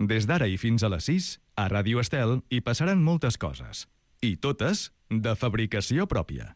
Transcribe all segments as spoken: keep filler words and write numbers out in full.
Des d'ara i fins a les sis, a Ràdio Estel hi passaran moltes coses. I totes de fabricació pròpia.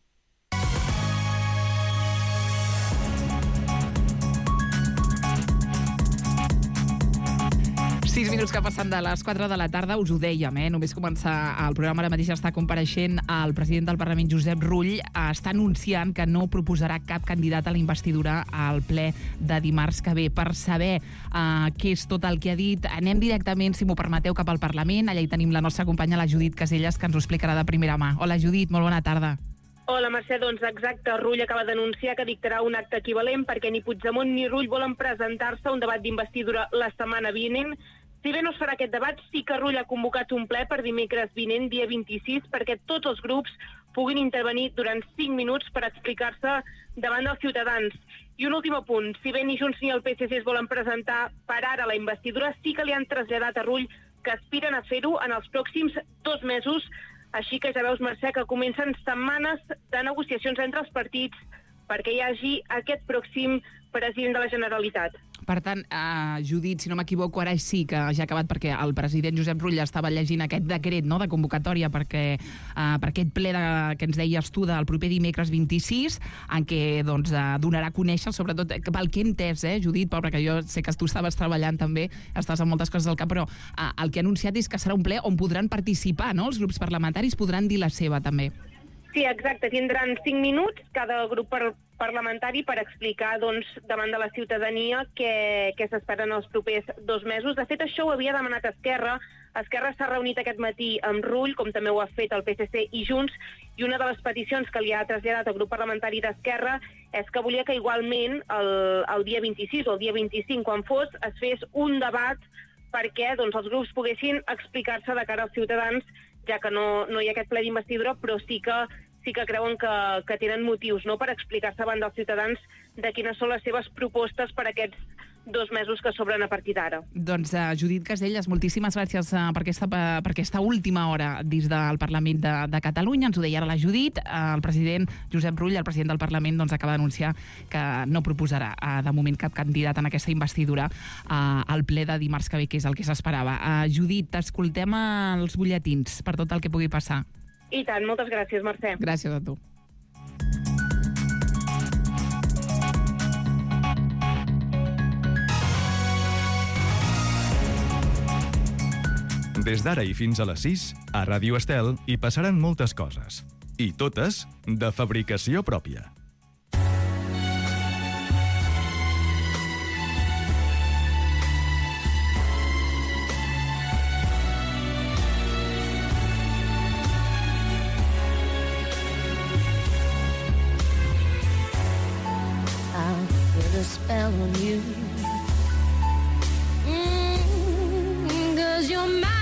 Sis minuts que passen de les quatre de la tarda, us ho dèiem, eh? Només començar el programa, ara mateix està compareixent el president del Parlament, Josep Rull, està anunciant que no proposarà cap candidat a la investidura al ple de dimarts que ve. Per saber uh, què és tot el que ha dit, anem directament, si m'ho permeteu, cap al Parlament. Allà hi tenim la nostra companya, la Judit Casellas, que ens ho explicarà de primera mà. Hola, Judit, molt bona tarda. Hola, Mercè, doncs exacte. Rull acaba d'anunciar que dictarà un acte equivalent perquè ni Puigdemont ni Rull volen presentar-se a un debat d'investidura la setmana vinent. Si bé no es farà aquest debat, sí que Rull ha convocat un ple per dimecres vinent, dia vint-i-sis, perquè tots els grups puguin intervenir durant cinc minuts per explicar-se davant dels ciutadans. I un últim apunt, si bé ni Junts ni el P S C es volen presentar per ara a la investidura, sí que li han traslladat a Rull que aspiren a fer-ho en els pròxims dos mesos, així que ja veus, Mercè, que comencen setmanes de negociacions entre els partits perquè hi hagi aquest pròxim president de la Generalitat. Per tant, eh, Judit, si no m'equivoco, ara sí que ja ha acabat perquè el president Josep Rull estava llegint aquest decret, no?, de convocatòria perquè, eh, per aquest ple de, que ens deies tu del proper dimecres vint-i-sis, en què doncs, eh, donarà a conèixer, sobretot pel que he entès, eh, Judit, pobre, que jo sé que tu estaves treballant també, estàs amb moltes coses al cap, però eh, el que ha anunciat és que serà un ple on podran participar, no?, els grups parlamentaris podran dir la seva també. Sí, exacte. Tindran cinc minuts cada grup per, parlamentari per explicar doncs, davant de la ciutadania què, què s'espera en els propers dos mesos. De fet, això ho havia demanat Esquerra. Esquerra s'ha reunit aquest matí amb Rull, com també ho ha fet el P S C i Junts, i una de les peticions que li ha traslladat el grup parlamentari d'Esquerra és que volia que igualment el, el dia vint-i-sis o el dia vint-i-cinc, quan fos, es fes un debat perquè doncs, els grups poguessin explicar-se de cara als ciutadans, ja que no, no hi ha aquest ple d'investidura, però sí que, sí que creuen que, que tenen motius, no?, per explicar-se davant dels ciutadans de quines són les seves propostes per aquests dos mesos que s'obren a partir d'ara. Doncs, uh, Judit Casellas, moltíssimes gràcies uh, per, aquesta, uh, per aquesta última hora dins del Parlament de, de Catalunya. Ens ho deia ara la Judit. Uh, el president Josep Rull, el president del Parlament, doncs, acaba d'anunciar que no proposarà uh, de moment cap candidat en aquesta investidura uh, al ple de dimarts que ve, que és el que s'esperava. Uh, Judit, t'escoltem als butlletins per tot el que pugui passar. I tant, moltes gràcies, Mercè. Gràcies a tu. Des d'ara i fins a les sis, a Ràdio Estel hi passaran moltes coses. I totes de fabricació pròpia. I'll put a spell on you. Mm, 'cause you're mine.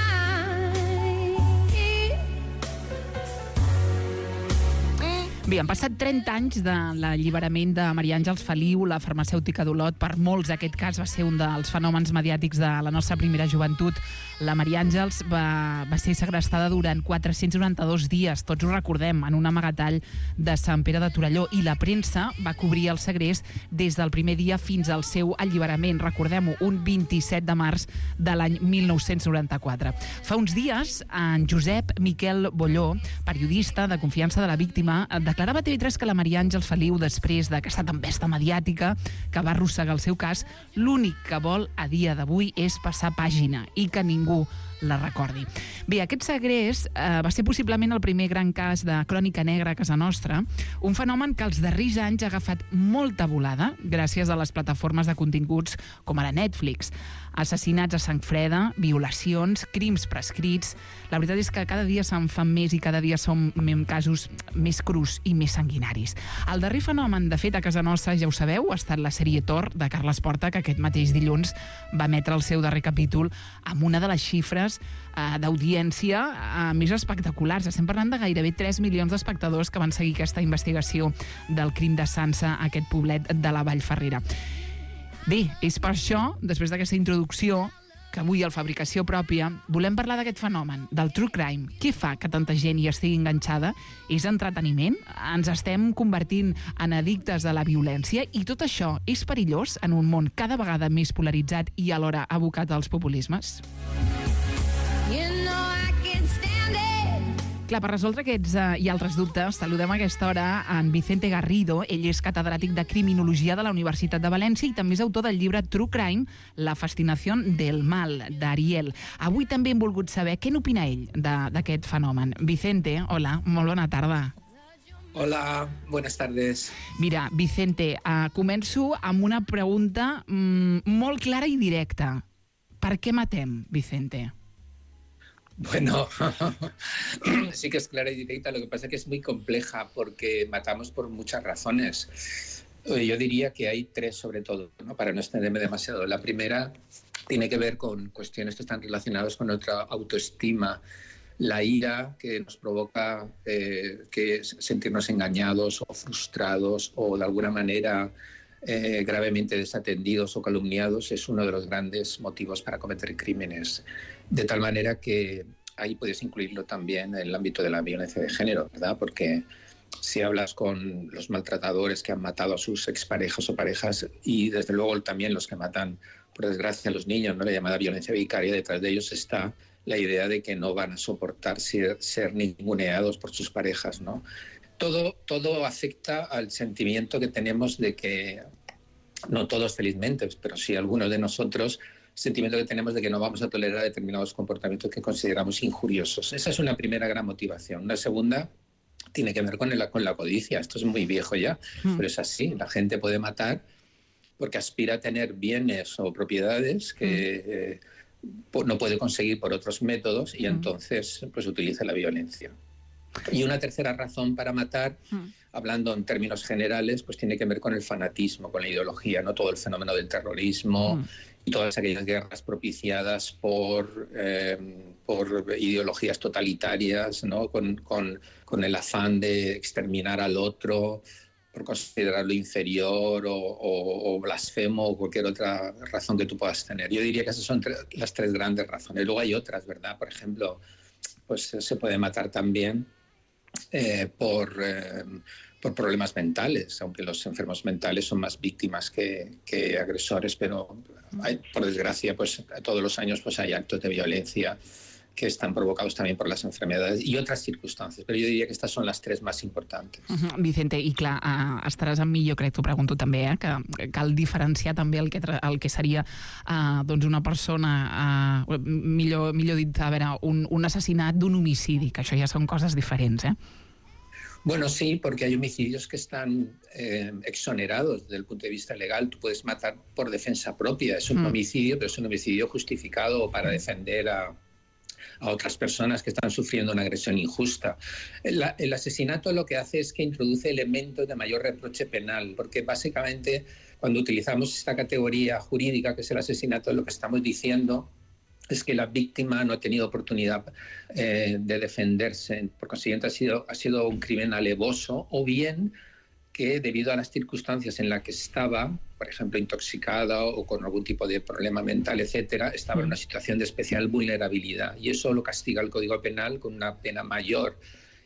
Bé, han passat trenta anys de l'alliberament de Maria Àngels Feliu, la farmacèutica d'Olot. Per molts aquest cas va ser un dels fenòmens mediàtics de la nostra primera joventut. La Maria Àngels va, va ser segrestada durant quatre-cents noranta-dos dies, tots ho recordem, en un amagatall de Sant Pere de Torelló, i la premsa va cobrir el segrest des del primer dia fins al seu alliberament. Recordem-ho, un vint-i-set de març de l'any mil nou-cents noranta-quatre. Fa uns dies, en Josep Miquel Bolló, periodista de confiança de la víctima, declarava a T V tres que la Maria Àngels Feliu, després d'aquesta tempesta mediàtica que va arrossegar el seu cas, l'únic que vol a dia d'avui és passar pàgina i que ningú la recordi. Bé, aquest segrest eh, va ser possiblement el primer gran cas de crònica negra a casa nostra, un fenomen que els darrers anys ha agafat molta volada gràcies a les plataformes de continguts com ara Netflix. Assassinats a sang freda, violacions, crims prescrits. La veritat és que cada dia se'n fan més i cada dia són casos més crus i més sanguinaris. El darrer fenomen, de fet, a casa nostra, ja ho sabeu, ha estat la sèrie Tor de Carles Porta, que aquest mateix dilluns va emetre el seu darrer capítol amb una de les xifres eh, d'audiència eh, més espectaculars. Estem parlant de gairebé tres milions d'espectadors que van seguir aquesta investigació del crim de Sança a aquest poblet de la Vall Ferrera. Bé, és per això, després d'aquesta introducció, que avui al Fabricació Pròpia volem parlar d'aquest fenomen, del true crime. Què fa que tanta gent hi estigui enganxada? És entreteniment? Ens estem convertint en addictes a la violència? I tot això és perillós en un món cada vegada més polaritzat i alhora abocat als populismes? You know I can stand it. Clar, per resoldre aquests uh, i altres dubtes, saludem a aquesta hora en Vicente Garrido. Ell és catedràtic de Criminologia de la Universitat de València i també és autor del llibre True Crime, la fascinació del mal, d'Ariel. Avui també hem volgut saber què n'opina ell d'aquest fenomen. Vicente, hola, molt bona tarda. Hola, buenas tardes. Mira, Vicente, uh, començo amb una pregunta mm, molt clara i directa. Per què matem, Vicente? Bueno, sí que es clara y directa, lo que pasa es que es muy compleja porque matamos por muchas razones. Yo diría que hay tres sobre todo, ¿no? Para no extenderme demasiado. La primera tiene que ver con cuestiones que están relacionadas con nuestra autoestima, la ira que nos provoca eh, que sentirnos engañados o frustrados o de alguna manera eh, gravemente desatendidos o calumniados es uno de los grandes motivos para cometer crímenes. De tal manera que ahí puedes incluirlo también en el ámbito de la violencia de género, ¿verdad? Porque si hablas con los maltratadores que han matado a sus exparejas o parejas y desde luego también los que matan, por desgracia, a los niños, ¿no? La llamada violencia vicaria, detrás de ellos está la idea de que no van a soportar ser, ser ninguneados por sus parejas, ¿no? Todo, todo afecta al sentimiento que tenemos de que, no todos felizmente, pero sí algunos de nosotros, sentimiento que tenemos de que no vamos a tolerar determinados comportamientos que consideramos injuriosos. Esa es una primera gran motivación. Una segunda tiene que ver con, el, con la codicia. Esto es muy viejo ya, mm. pero es así. La gente puede matar porque aspira a tener bienes o propiedades que mm. eh, no puede conseguir por otros métodos y mm. entonces pues utiliza la violencia. Y una tercera razón para matar, mm. hablando en términos generales, pues tiene que ver con el fanatismo, con la ideología, no todo el fenómeno del terrorismo mm. y todas aquellas guerras propiciadas por, eh, por ideologías totalitarias, ¿no? con, con, con el afán de exterminar al otro, por considerarlo inferior o, o, o blasfemo o cualquier otra razón que tú puedas tener. Yo diría que esas son tre- las tres grandes razones. Luego hay otras, ¿verdad? Por ejemplo, pues se puede matar también eh, por... Eh, por problemas mentales, aunque los enfermos mentales son más víctimas que, que agresores, pero hay, por desgracia, pues todos los años pues hay actos de violencia que están provocados también por las enfermedades y otras circunstancias, però jo diria que estas són les tres més importants. Uh-huh. Vicente, i clar, uh, estaràs amb mi, jo crec, t'ho pregunto també, eh, que cal diferenciar també el que, tra- el que seria uh, doncs una persona, uh, millor, millor dit, a veure, un, un assassinat d'un homicidi, que això ja són coses diferents, eh? Bueno, sí, porque hay homicidios que están eh, exonerados desde el punto de vista legal. Tú puedes matar por defensa propia. Es un mm. homicidio, pero es un homicidio justificado para defender a, a otras personas que están sufriendo una agresión injusta. El, el asesinato lo que hace es que introduce elementos de mayor reproche penal, porque básicamente cuando utilizamos esta categoría jurídica que es el asesinato, lo que estamos diciendo es que la víctima no ha tenido oportunidad eh, de defenderse. Por consiguiente, ha sido, ha sido un crimen alevoso, o bien que debido a las circunstancias en las que estaba, por ejemplo, intoxicada o con algún tipo de problema mental, etcétera, estaba en una situación de especial vulnerabilidad. Y eso lo castiga el Código Penal con una pena mayor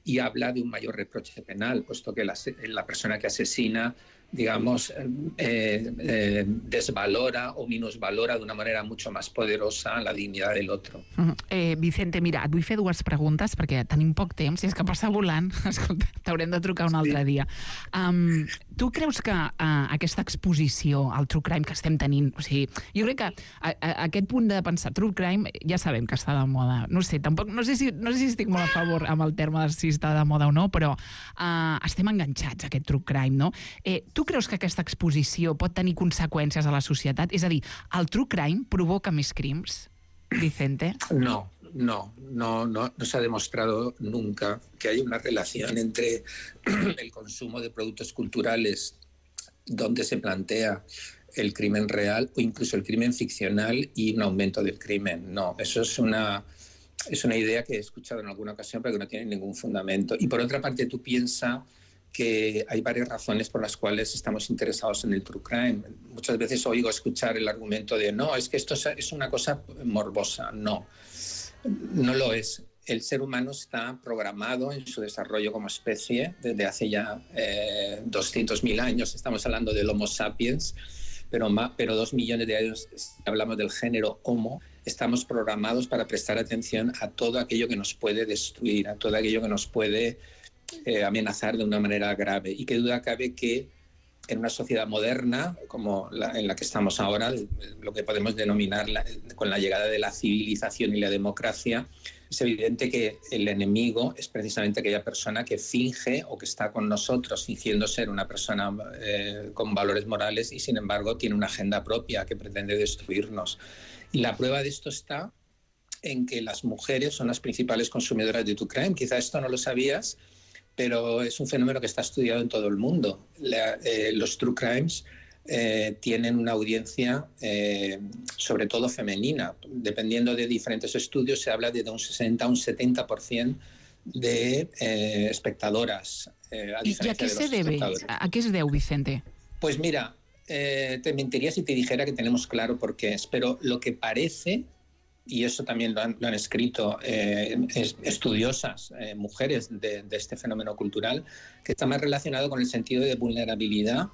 y habla de un mayor reproche penal, puesto que la, la persona que asesina, digamos, eh, eh, desvalora o minusvalora d'una manera mucho más poderosa la dignitat del otro. Uh-huh. eh, Vicente, mira, et vull fer dues preguntes perquè tenim poc temps i és que passa volant. Escolta, t'haurem de trucar un altre sí. dia. Um, tu creus que uh, aquesta exposició al true crime que estem tenint, o sigui, jo crec que a, a, aquest punt de pensar true crime ja sabem que està de moda. No sé, tampoc, no sé si, no sé si estic molt a favor amb el terme de si està de moda o no, però uh, estem enganxats a aquest true crime, no? Eh, tu creus que aquesta exposició pot tenir conseqüències a la societat? És a dir, el true crime provoca més crims, Vicente? No, no, no, no, no se ha demostrado nunca que hay una relación entre el consumo de productos culturales donde se plantea el crimen real o incluso el crimen ficcional y un aumento del crimen. No, eso es una, es una idea que he escuchado en alguna ocasión pero que no tiene ningún fundamento. Y por otra parte, tú piensas que hay varias razones por las cuales estamos interesados en el true crime. Muchas veces oigo escuchar el argumento de no, es que esto es una cosa morbosa. No, no lo es. El ser humano está programado en su desarrollo como especie desde hace ya eh, doscientos mil años. Estamos hablando del Homo sapiens, pero, más, pero dos millones de años hablamos del género Homo. Estamos programados para prestar atención a todo aquello que nos puede destruir, a todo aquello que nos puede eh, amenazar de una manera grave. Y qué duda cabe que en una sociedad moderna como la en la que estamos ahora, lo que podemos denominar la, con la llegada de la civilización y la democracia, es evidente que el enemigo es precisamente aquella persona que finge o que está con nosotros fingiendo ser una persona eh, con valores morales y sin embargo tiene una agenda propia que pretende destruirnos. Y la prueba de esto está en que las mujeres son las principales consumidoras de true crime. Quizá esto no lo sabías, pero es un fenómeno que está estudiado en todo el mundo. La, eh, los true crimes eh, tienen una audiencia eh, sobre todo femenina. Dependiendo de diferentes estudios, se habla de un sesenta a un setenta por ciento de eh, espectadoras. Eh, a ¿Y a qué se debe? ¿A qué se deu, Vicente? Pues mira, eh, te mentiría si te dijera que tenemos claro por qué es, pero lo que parece, y eso también lo han, lo han escrito eh, es, estudiosas, eh, mujeres de, de este fenómeno cultural, que está más relacionado con el sentido de vulnerabilidad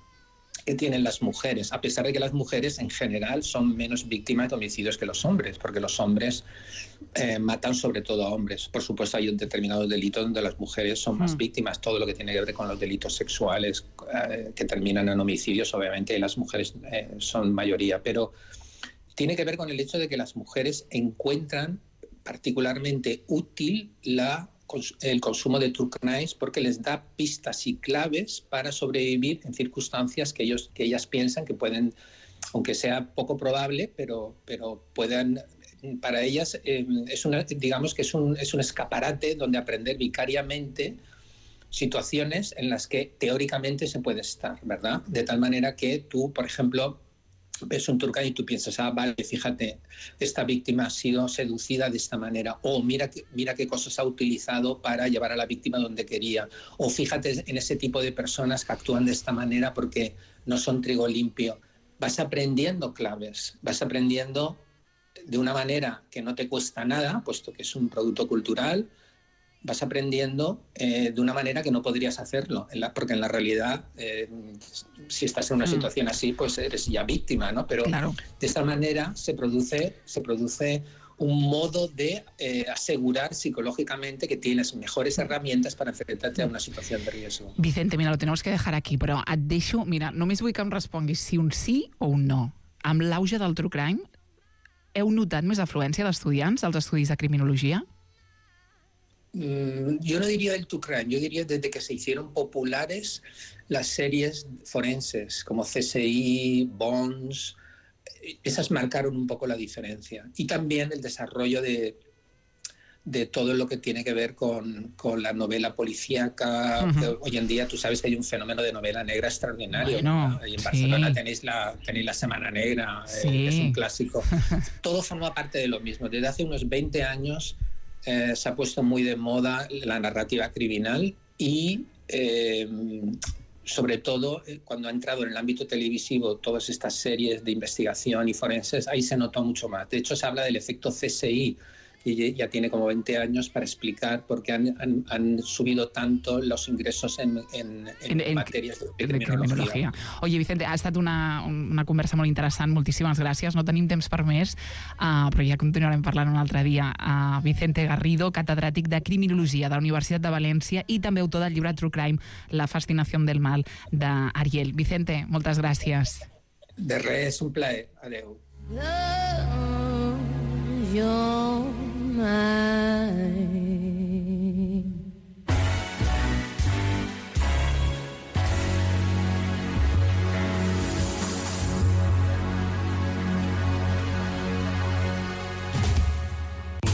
que tienen las mujeres, a pesar de que las mujeres en general son menos víctimas de homicidios que los hombres, porque los hombres eh, matan sobre todo a hombres. Por supuesto hay un determinado delito donde las mujeres son más mm. víctimas, todo lo que tiene que ver con los delitos sexuales eh, que terminan en homicidios, obviamente las mujeres eh, son mayoría, pero tiene que ver con el hecho de que las mujeres encuentran particularmente útil la, el consumo de true crimes porque les da pistas y claves para sobrevivir en circunstancias que, ellos, que ellas piensan que pueden, aunque sea poco probable, pero, pero puedan, para ellas eh, es una, digamos que es un, es un escaparate donde aprender vicariamente situaciones en las que teóricamente se puede estar, ¿verdad? De tal manera que tú, por ejemplo, ves un true crime y tú piensas, ah, vale, fíjate, esta víctima ha sido seducida de esta manera, o mira, mira qué cosas ha utilizado para llevar a la víctima donde quería, o fíjate en ese tipo de personas que actúan de esta manera porque no son trigo limpio. Vas aprendiendo claves, vas aprendiendo de una manera que no te cuesta nada, puesto que es un producto cultural, vas aprendiendo eh, de una manera que no podrías hacerlo, en la, porque en la realidad, eh, si estás en una mm. situación así, pues eres ya víctima, ¿no? Pero claro, de esta manera se produce, se produce un modo de eh, asegurar psicológicamente que tienes mejores herramientas para enfrentarte a una situación de riesgo. Vicente, mira, lo tenemos que dejar aquí, però et deixo, mira, només vull que em responguis si un sí o un no. Amb l'auge del true crime, heu notat més afluència d'estudiants als estudis de criminologia? Yo no diría del true crime, yo diría desde que se hicieron populares las series forenses como C S I, Bones, esas marcaron un poco la diferencia. Y también el desarrollo de, de todo lo que tiene que ver con, con la novela policíaca. Uh-huh. Hoy en día tú sabes que hay un fenómeno de novela negra extraordinario. Bueno, ¿no? Y en Barcelona sí. tenéis, la, tenéis la Semana Negra, sí. eh, que es un clásico. Todo forma parte de lo mismo. Desde hace unos veinte años Eh, se ha puesto muy de moda la narrativa criminal y eh, sobre todo eh, cuando ha entrado en el ámbito televisivo todas estas series de investigación y forenses, ahí se notó mucho más. De hecho se habla del efecto C S I, que ya tiene como veinte años, para explicar por qué han, han, han subido tanto los ingressos en, en, en, en materias de criminologia. de criminologia. Oye, Vicente, ha estat una, una conversa molt interessant, moltíssimes gràcies. No tenim temps per més, uh, però ja continuarem parlant un altre dia. Uh, Vicente Garrido, catedràtic de Criminologia de la Universitat de València i també autor del llibre True Crime, La fascinació del mal, d'Ariel. Vicente, moltes gràcies. De res, un plaer. Adéu. Close your mind.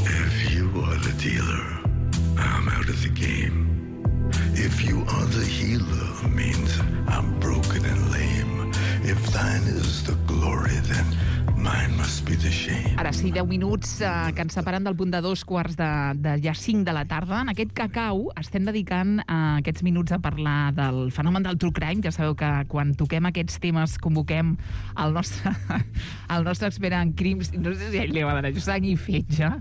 If you are the dealer, I'm out of the game. If you are the healer, means I'm broken and lame. If thine is the glory, then Mine must be the shame. Ara sí, deu minuts eh, que ens separen del punt de dos quarts de, de ja cinc de la tarda. En aquest cacau estem dedicant eh, aquests minuts a parlar del fenomen del true crime. Ja sabeu que quan toquem aquests temes convoquem el nostre, el nostre expert en crims. No sé si a ell li va donar sang i fetge.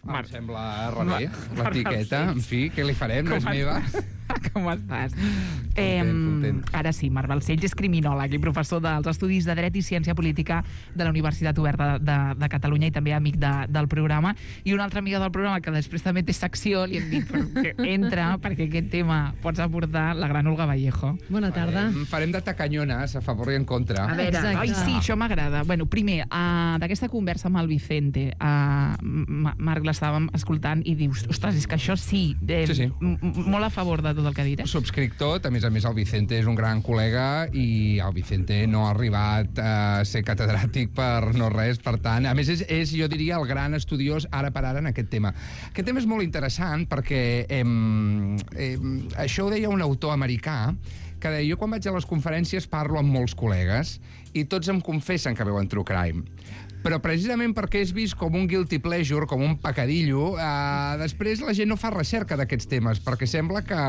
Em sembla rebé, l'etiqueta. En fi, què li farem? No és meva. Com estàs? Content, Eh, content. ara sí, Marc Balcells és criminòleg i professor dels Estudis de Dret i Ciència Política de la Universitat Oberta de, de Catalunya i també amic de, del programa. I una altra amiga del programa que després també té secció, li hem dit que entra perquè aquest tema pots aportar la gran Olga Vallejo. Bona tarda. Farem, farem de tacanyones a favor i en contra. A veure, Exacte. ai, sí, això m'agrada. Bueno, primer, uh, d'aquesta conversa amb el Vicente, uh, Marc, l'estàvem escoltant i dius, ostres, és que això sí, eh, Sí, sí. m- m- molt a favor de tot el que ha dit, eh? Subscric tot, a més a més el Vicente és un gran col·lega i el Vicente no ha arribat a ser catedràtic per no res, per tant, a més és, és jo diria, el gran estudiós ara per ara en aquest tema. Aquest tema és molt interessant perquè em, em, això ho deia un autor americà que deia, jo quan vaig a les conferències parlo amb molts col·legues i tots em confessen que veuen true crime. Però precisament perquè és vist com un guilty pleasure, com un pecadillo, eh, després la gent no fa recerca d'aquests temes, perquè sembla que...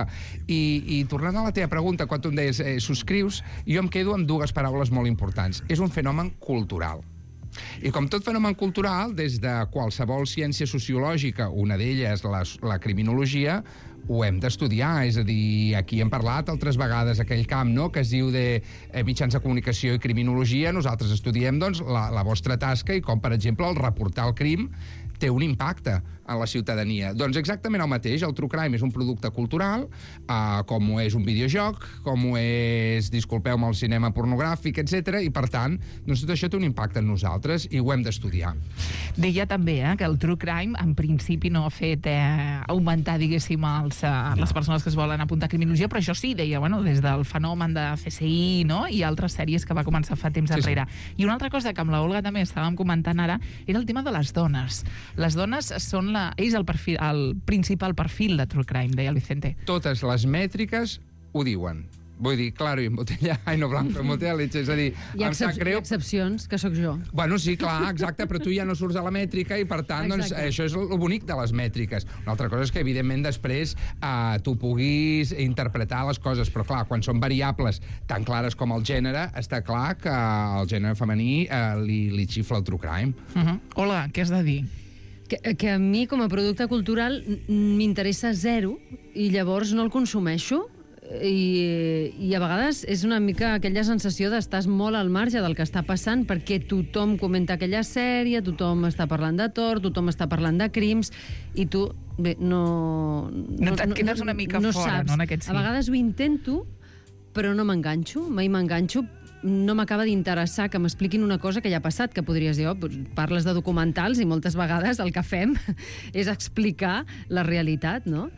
I, i tornant a la teva pregunta, quan tu em deies eh, subscrius, jo em quedo amb dues paraules molt importants. És un fenomen cultural. I com tot fenomen cultural, des de qualsevol ciència sociològica, una d'elles la, la criminologia, ho hem d'estudiar, és a dir, aquí hem parlat altres vegades aquell camp, no?, que es diu de eh, mitjans de comunicació i criminologia. Nosaltres estudiem, doncs, la, la vostra tasca i com, per exemple, el reportar el crim té un impacte en la ciutadania. Doncs exactament el mateix, el true crime és un producte cultural, eh, com ho és un videojoc, com ho és, disculpeu-me, el cinema pornogràfic, etcètera, i per tant, doncs tot això té un impacte en nosaltres i ho hem d'estudiar. Deia també eh, que el true crime en principi no ha fet eh, augmentar, diguéssim, els, eh, les persones que es volen apuntar a criminologia, però això sí, deia, bueno, des del fenomen de C S I, no?, i altres sèries que va començar fa temps Sí, enrere. I una altra cosa que amb la Olga també estàvem comentant ara era el tema de les dones. Les dones són la... és el, perfil, el principal perfil de true crime, deia el Vicente. Totes les mètriques ho diuen. Vull dir, claro, i en botella, ai, no blanco, en botella leche, és a dir, Hi ha, em sap excep greu... hi ha excepcions, que sóc jo. Bueno, sí, clar, exacte, però tu ja no surts de la mètrica i, per tant, doncs, Exacte. això és el bonic de les mètriques. Una altra cosa és que, evidentment, després eh, tu puguis interpretar les coses, però, clar, quan són variables tan clares com el gènere, està clar que el gènere femení eh, li, li xifla el true crime. Uh -huh. Olga, què has de dir? Que, que a mi, com a producte cultural, n- m'interessa zero i llavors no el consumeixo. I, i a vegades és una mica aquella sensació d'estar molt al marge del que està passant perquè tothom comenta aquella sèrie, tothom està parlant de Thor, tothom està parlant de crims i tu, bé, no... No, et quedes una mica fora, no, en aquest sí. A vegades ho intento, però no m'enganxo, mai m'enganxo, no m'acaba d'interessar que m'expliquin una cosa que ja ha passat, que podries dir, oh, parles de documentals i moltes vegades el que fem és explicar la realitat, no?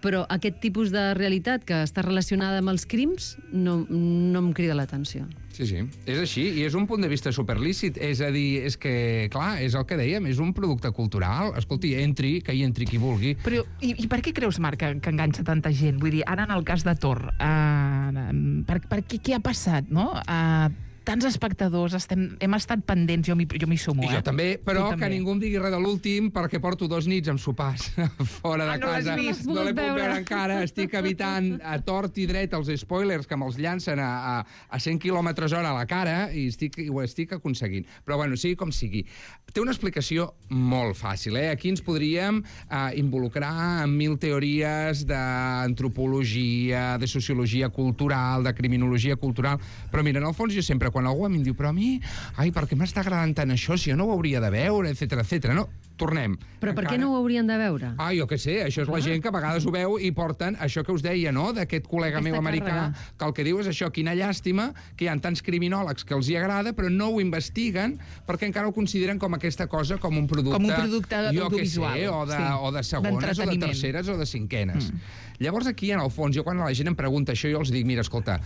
Però aquest tipus de realitat que està relacionada amb els crims no, no em crida l'atenció. Sí, sí, és així, i és un punt de vista superlícit. És a dir, és que, clar, és el que dèiem, és un producte cultural. Escolti, entri, que hi entri qui vulgui. Però, i, i per què creus, Marc, que, que enganxa tanta gent? Vull dir, ara en el cas de Thor, uh, per, per què, què ha passat, no? Uh, tants espectadors, estem, hem estat pendents, jo m'hi jo m'hi sumo, I eh? jo també, però Tu que també. ningú em digui res de l'últim perquè porto dos nits amb sopars fora de Ah, no l'has casa. vist? No l'he No l'has pogut veure. veure encara. Estic evitant a tort i dret els spoilers que me'ls llancen a, a, a cent quilòmetres hora a la cara i, estic, i ho estic aconseguint. Però, bueno, sigui com sigui. Té una explicació molt fàcil, eh? Aquí ens podríem eh, involucrar en mil teories d'antropologia, de sociologia cultural, de criminologia cultural, però mira, en el fons jo sempre, quan algú em diu però a mi, ai, per què m'està agradant tant això, si jo no ho hauria de veure, etcètera, etcètera. No, tornem. Però per Encara... què no ho haurien de veure? Ah, jo què sé, això és la gent que a vegades ho veu i porten això que us deia, no?, d'aquest col·lega Aquesta meu americà, càrrega. que el que diu és això, quina llàstima, que hi ha tants criminòlegs que els hi agrada, però no ho investiguen perquè encara ho consideren com aquesta cosa, com un producte... Com un producte jo què audiovisual, sé, o de, sí, o de segones, o de d'entreteniment. terceres, o de cinquenes. Mm. Llavors aquí, en el fons, jo quan la gent em pregunta això, jo els dic, mira, escolta,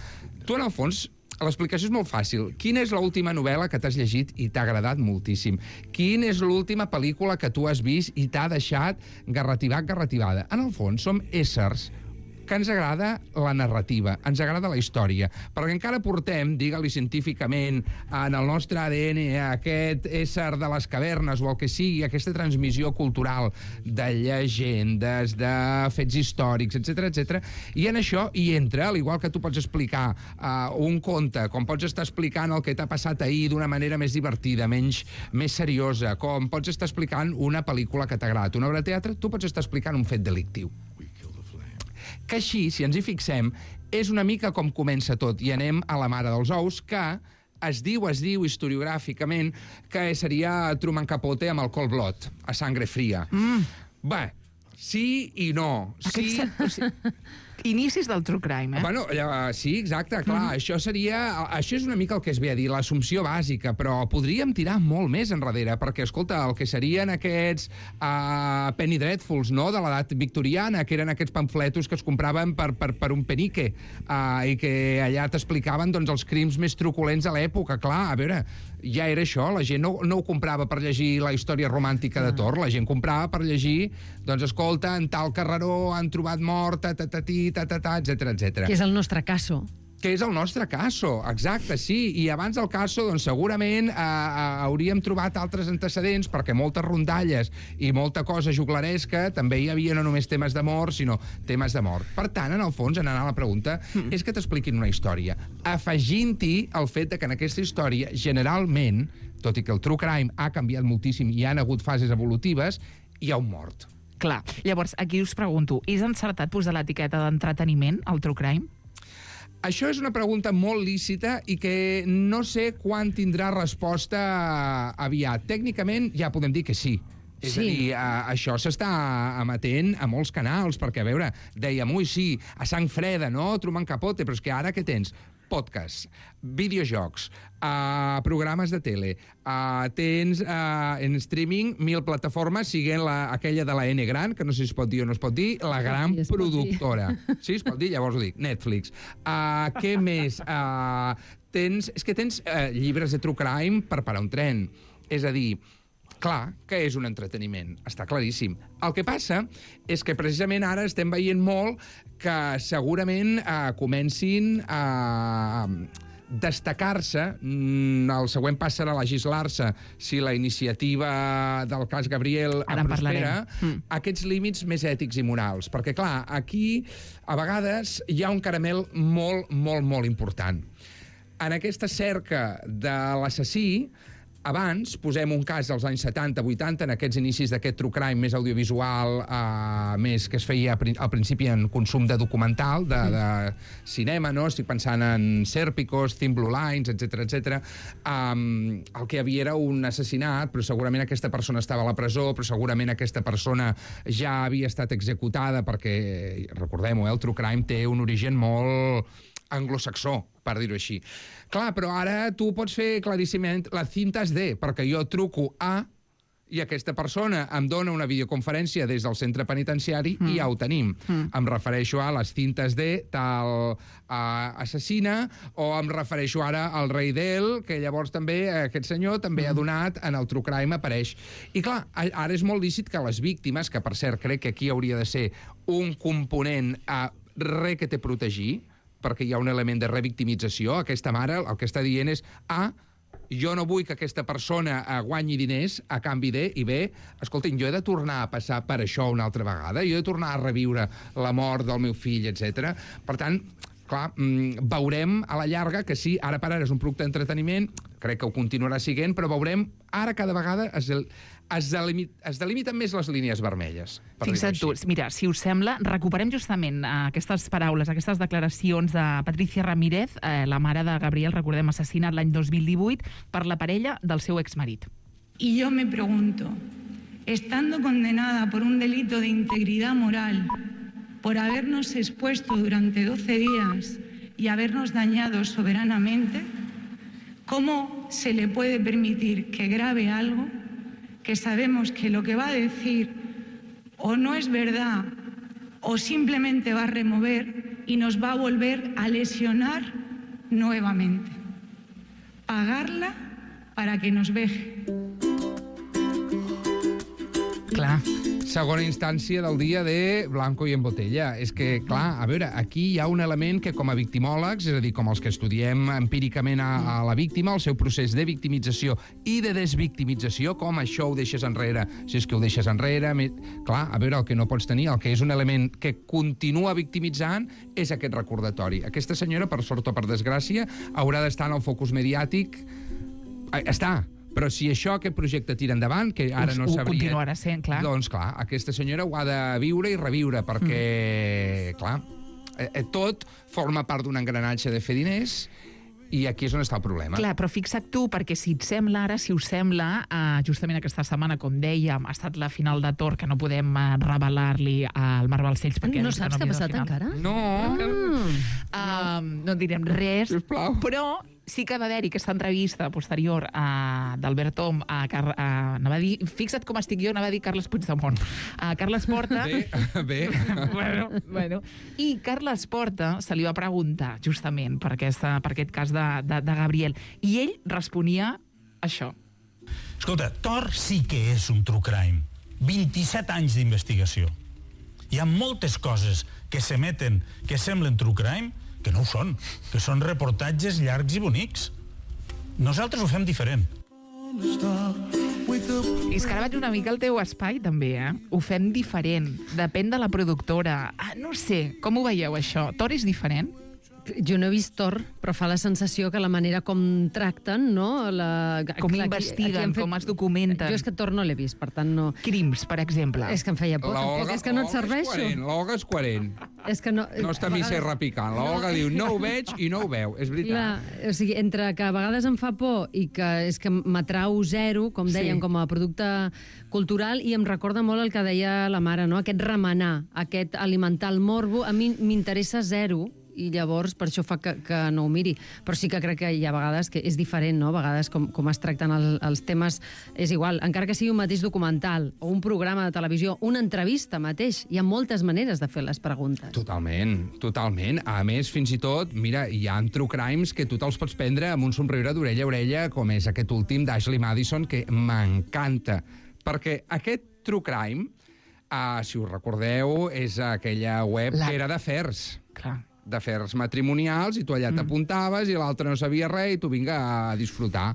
tu en el fons l'explicació és molt fàcil. Quina és l'última novel·la que t'has llegit i t'ha agradat moltíssim? Quina és l'última pel·lícula que tu has vist i t'ha deixat garrativat, garrativada? En el fons, som éssers que ens agrada la narrativa, ens agrada la història, perquè encara portem, digue-li científicament, en el nostre A D N aquest ésser de les cavernes o el que sigui, aquesta transmissió cultural de llegendes, de fets històrics, etcètera, etcètera, i en això hi entra, al igual que tu pots explicar uh, un conte, com pots estar explicant el que t'ha passat ahir d'una manera més divertida, menys, més seriosa, com pots estar explicant una pel·lícula que t'ha agradat, una obra de teatre, tu pots estar explicant un fet delictiu. Que així, si ens hi fixem, és una mica com comença tot, i anem a la mare dels ous, que es diu, es diu historiogràficament que seria Truman Capote amb el Cold Blood, a sangre fria. Mm. Bé, sí i no. Sí, Aquest... sí. Inicis del true crime, eh? Bueno, uh, sí, exacte, clar, mm-hmm. això seria... Això és una mica el que es ve a dir, l'assumpció bàsica, però podríem tirar molt més enrere, perquè, escolta, el que serien aquests uh, penny dreadfuls, no?, de l'edat victoriana, que eren aquests pamfletos que es compraven per, per, per un penique, uh, i que allà t'explicaven, doncs, els crims més truculents a l'època. Clar, a veure, ja era això, la gent no, no ho comprava per llegir la història romàntica de Thor, la gent comprava per llegir, doncs, escolta, en tal carreró han trobat mort, tatatí, tatatà, etcètera, etcètera. Que és el nostre caso. Que és el nostre caso, exacte, sí. I abans del caso, doncs, segurament eh, eh, hauríem trobat altres antecedents, perquè moltes rondalles i molta cosa juglaresca també hi havia no només temes de mort, sinó temes de mort. Per tant, en el fons, anant a la pregunta, mm. és que t'expliquin una història, afegint-hi el fet de que en aquesta història, generalment, tot i que el true crime ha canviat moltíssim i hi ha hagut fases evolutives, hi ha un mort. Clar. Llavors, aquí us pregunto, és encertat posar l'etiqueta d'entreteniment al true crime? Això és una pregunta molt lícita i que no sé quan tindrà resposta aviat. Tècnicament ja podem dir que sí. És sí. a dir, a, això s'està emetent a molts canals, perquè, a veure, dèiem, ui, sí, a sang freda, no?, Truman Capote, però és que ara què tens? Podcasts, videojocs, uh, programes de tele, uh, tens uh, en streaming mil plataformes, siguent la, aquella de la N gran, que no sé si es pot dir o no es pot dir, la gran sí, productora. Sí, es pot dir? Llavors ho dic, Netflix. Uh, què més? Uh, tens, és que tens uh, llibres de true crime per parar un tren. És a dir, clar que és un entreteniment, està claríssim. El que passa és que precisament ara estem veient molt que segurament eh, comencin a destacar-se, el següent pas serà legislar-se si la iniciativa del cas Gabriel ara prospera, mm. aquests límits més ètics i morals. Perquè, clar, aquí a vegades hi ha un caramel molt, molt, molt important. En aquesta cerca de l'assassí, abans, posem un cas dels anys setanta vuitanta, en aquests inicis d'aquest true crime més audiovisual, eh, més que es feia al principi en consum de documental, de, de cinema, no? Estic pensant en Sèrpicos, Thin Blue Lines, etcètera, etcètera. Um, el que hi havia era un assassinat, però segurament aquesta persona estava a la presó, però segurament aquesta persona ja havia estat executada, perquè, recordem-ho, eh, el true crime té un origen molt anglosaxó, per dir-ho així. Clar, però ara tu pots fer claríssimament les cintes D, perquè jo truco a i aquesta persona em dona una videoconferència des del centre penitenciari mm. i ja ho tenim. Mm. Em refereixo a les cintes D, tal uh, assassina, o em refereixo ara al rei d'El, que llavors també aquest senyor també mm. ha donat en el true crime apareix. I clar, ara és molt lícit que les víctimes, que per cert crec que aquí hauria de ser un component a re que té protegir, perquè hi ha un element de revictimització. Aquesta mare el que està dient és A, jo no vull que aquesta persona guanyi diners a canvi de, i B, escoltin, jo he de tornar a passar per això una altra vegada, jo he de tornar a reviure la mort del meu fill, etcètera. Per tant, clar, veurem a la llarga que sí, ara per ara és un producte d'entreteniment, crec que ho continuarà siguent, però veurem ara cada vegada es, es, delimit, es delimiten més les línies vermelles. Fixa't tu, mira, si us sembla, recuperem justament aquestes paraules, aquestes declaracions de Patricia Ramírez, eh, la mare de Gabriel, recordem, assassinat l'any dos mil divuit per la parella del seu exmarit. Y yo me pregunto, estando condenada por un delito de integridad moral, por habernos expuesto durante doce días y habernos dañado soberanamente, ¿cómo se le puede permitir que grabe algo que sabemos que lo que va a decir o no es verdad o simplemente va a remover y nos va a volver a lesionar nuevamente? Pagarla para que nos veje. Clar, Segona instància del dia de Blanco i en botella. És que, clar, a veure, aquí hi ha un element que com a victimòlegs, és a dir, com els que estudiem empíricament a, a la víctima, el seu procés de victimització i de desvictimització, com això ho deixes enrere, si és que ho deixes enrere... Me... Clar, a veure, el que no pots tenir, el que és un element que continua victimitzant, és aquest recordatori. Aquesta senyora, per sort o per desgràcia, haurà d'estar en el focus mediàtic... Està, però si això, aquest projecte tira endavant, que ara no sabria... Ho continuarà sent, clar. Doncs, clar, aquesta senyora ho ha de viure i reviure, perquè, mm. clar, eh, tot forma part d'un engranatge de fer diners i aquí és on està el problema. Clar, però fixa't tu, perquè si et sembla ara, si us sembla, eh, justament aquesta setmana, com dèiem, ha estat la final de Thor, que no podem eh, revelar-li al Marc Balcells, perquè... No saps què ha passat encara? No. Ah. Uh, no direm res, sisplau. Però sí que va haver-hi aquesta entrevista posterior a, d'Albert Tom a, Car a, anava a dir, fixa't com estic jo, anava a dir Carles Puigdemont, a Carles Porta. Bé, bé. bueno, bueno. I Carles Porta se li va preguntar justament per, aquesta, per aquest cas de, de, de Gabriel, i ell responia això. Escolta, Thor sí que és un true crime. vint-i-set anys d'investigació. Hi ha moltes coses que s'emeten que semblen true crime que no ho són, que són reportatges llargs i bonics. Nosaltres ho fem diferent. I és que ara vaig una mica al teu espai, també, eh? Ho fem diferent. Depèn de la productora. Ah, no sé, com ho veieu, això? Thor és diferent? Jo no he vist Thor, però fa la sensació que la manera com tracten, no? La... Com clar, investiguen, aquí, aquí fet... com es documenten. Jo és que Thor no l'he vist, per tant no... Crims, per exemple. És que em feia por, la tampoc, Olga, és que no et serveixo. L'Olga és coherent. És que no... No està a mi ser repicant. L'Olga no. diu, no ho veig i no ho veu. És veritat. Clar, o sigui, entre que a vegades em fa por i que és que m'atrau zero, com deien, sí. com a producte cultural, i em recorda molt el que deia la mare, no? Aquest remenar, aquest alimentar el morbo, a mi m'interessa zero, i llavors per això fa que, que no ho miri. Però sí que crec que hi ha vegades que és diferent, no? A vegades com, com es tracten el, els temes és igual. Encara que sigui un mateix documental o un programa de televisió, una entrevista mateix, hi ha moltes maneres de fer les preguntes. Totalment, totalment. A més, fins i tot, mira, hi ha true crimes que tu te'ls pots prendre amb un somriure d'orella a orella, com és aquest últim d'Ashley Madison, que m'encanta. Perquè aquest true crime, uh, si us recordeu, és aquella web La... que era d'afers. Clar. d'afers matrimonials, i tu allà mm. t'apuntaves i l'altre no sabia res i tu vinga a disfrutar.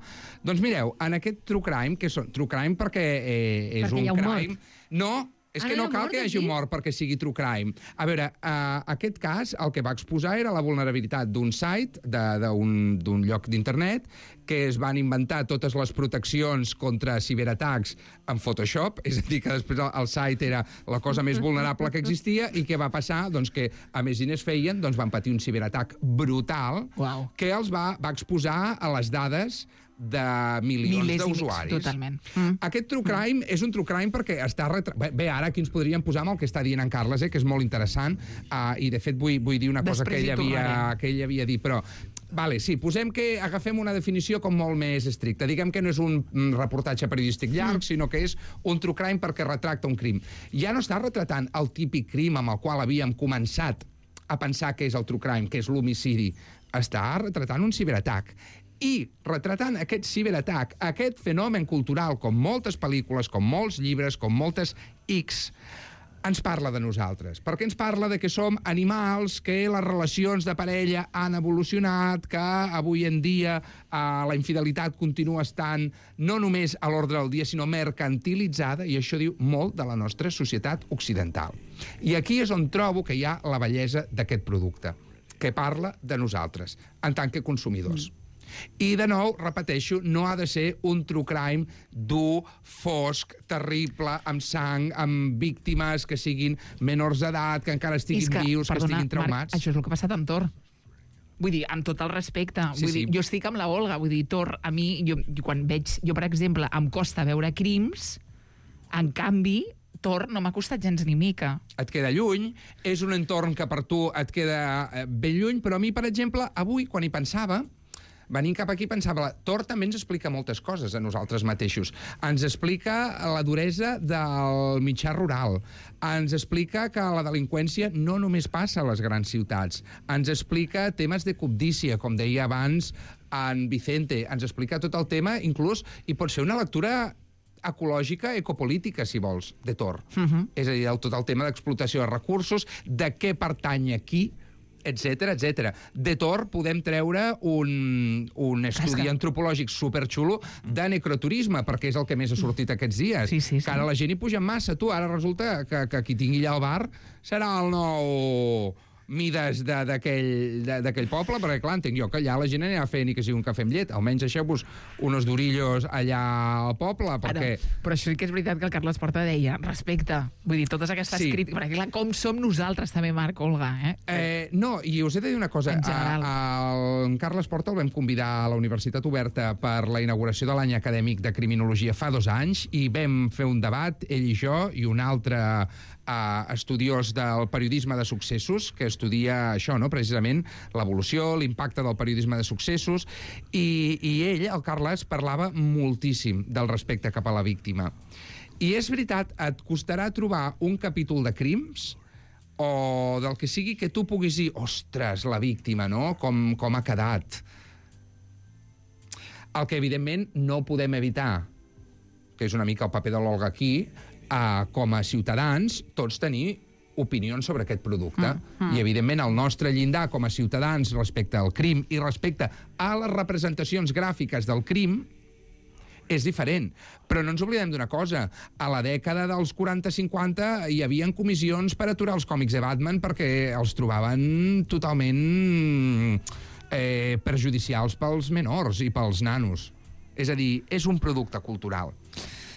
Doncs mireu, en aquest true crime, que són true crime perquè eh, és perquè un, un crime... Mort. No, és ah, que no cal que hi hagi un mort perquè sigui true crime. A veure, uh, aquest cas el que va exposar era la vulnerabilitat d'un site, d'un lloc d'internet, que es van inventar totes les proteccions contra ciberatacs en Photoshop, és a dir, que després el, el site era la cosa més vulnerable que existia, i què va passar? Doncs que, a més diners feien, doncs van patir un ciberatac brutal wow. que els va, va exposar a les dades de milions d'usuaris. Totalment. Mm. Aquest true crime mm. és un true crime perquè està... Retra... Bé, bé, ara aquí ens podríem posar amb el que està dient en Carles, eh, que és molt interessant, uh, i de fet vull, vull dir una cosa Després que ell, havia, que ell havia dit, però... Vale, sí, posem que agafem una definició com molt més estricta. Diguem que no és un reportatge periodístic llarg, mm. sinó que és un true crime perquè retracta un crim. Ja no està retratant el típic crim amb el qual havíem començat a pensar que és el true crime, que és l'homicidi. Està retratant un ciberatac. I retratant aquest ciberatac, aquest fenomen cultural, com moltes pel·lícules, com molts llibres, com moltes X, ens parla de nosaltres. Perquè ens parla de que som animals, que les relacions de parella han evolucionat, que avui en dia eh, la infidelitat continua estant no només a l'ordre del dia, sinó mercantilitzada, i això diu molt de la nostra societat occidental. I aquí és on trobo que hi ha la bellesa d'aquest producte, que parla de nosaltres, en tant que consumidors. Mm. I, de nou, repeteixo, no ha de ser un true crime dur, fosc, terrible, amb sang, amb víctimes que siguin menors d'edat, que encara estiguin que, vius, perdona, que estiguin traumats. Marc, això és el que ha passat amb Thor. Vull dir, amb tot el respecte. Sí, vull sí. dir, jo estic amb la Olga. Vull dir, Thor, a mi, jo, quan veig... Jo, per exemple, em costa veure crims, en canvi... Thor no m'ha costat gens ni mica. Et queda lluny, és un entorn que per tu et queda ben lluny, però a mi, per exemple, avui, quan hi pensava, venint cap aquí, pensava, Thor també ens explica moltes coses a nosaltres mateixos. Ens explica la duresa del mitjà rural. Ens explica que la delinqüència no només passa a les grans ciutats. Ens explica temes de cobdícia, com deia abans en Vicente. Ens explica tot el tema, inclús, i pot ser una lectura ecològica, ecopolítica, si vols, de Tor. Uh -huh. És a dir, el, tot el tema d'explotació de recursos, de què pertany a qui, etcètera, etcètera. De Tor podem treure un, un estudi antropològic superxulo de necroturisme, perquè és el que més ha sortit aquests dies. Sí, sí, sí. Que ara la gent hi puja massa. Tu, ara resulta que, que qui tingui allà al bar serà el nou Mides d'aquell poble, perquè, clar, entenc jo que allà la gent anirà a fer ni que sigui un cafè amb llet. Almenys deixeu-vos unos durillos allà al poble, perquè... Ara, però això sí que és veritat que el Carles Porta deia respecte. Vull dir, totes aquestes Sí. crítiques... Perquè, clar, com som nosaltres també, Marc, Olga, eh? Eh, no, i us he de dir una cosa. En general. A, a, en Carles Porta el vam convidar a la Universitat Oberta per la inauguració de l'any acadèmic de Criminologia fa dos anys i vam fer un debat, ell i jo, i un altre uh, estudiós del periodisme de successos, que estudia això, no?, precisament l'evolució, l'impacte del periodisme de successos, i, i ell, el Carles, parlava moltíssim del respecte cap a la víctima. I és veritat, et costarà trobar un capítol de crims o del que sigui que tu puguis dir, ostres, la víctima, no?, com, com ha quedat. El que, evidentment, no podem evitar, que és una mica el paper de l'Olga aquí, eh, com a ciutadans, tots tenir opinions sobre aquest producte. Mm, mm. I, evidentment, el nostre llindar com a ciutadans respecte al crim i respecte a les representacions gràfiques del crim és diferent. Però no ens oblidem d'una cosa. A la dècada dels quaranta cinquanta hi havia comissions per aturar els còmics de Batman perquè els trobaven totalment eh, perjudicials pels menors i pels nanos. És a dir, és un producte cultural.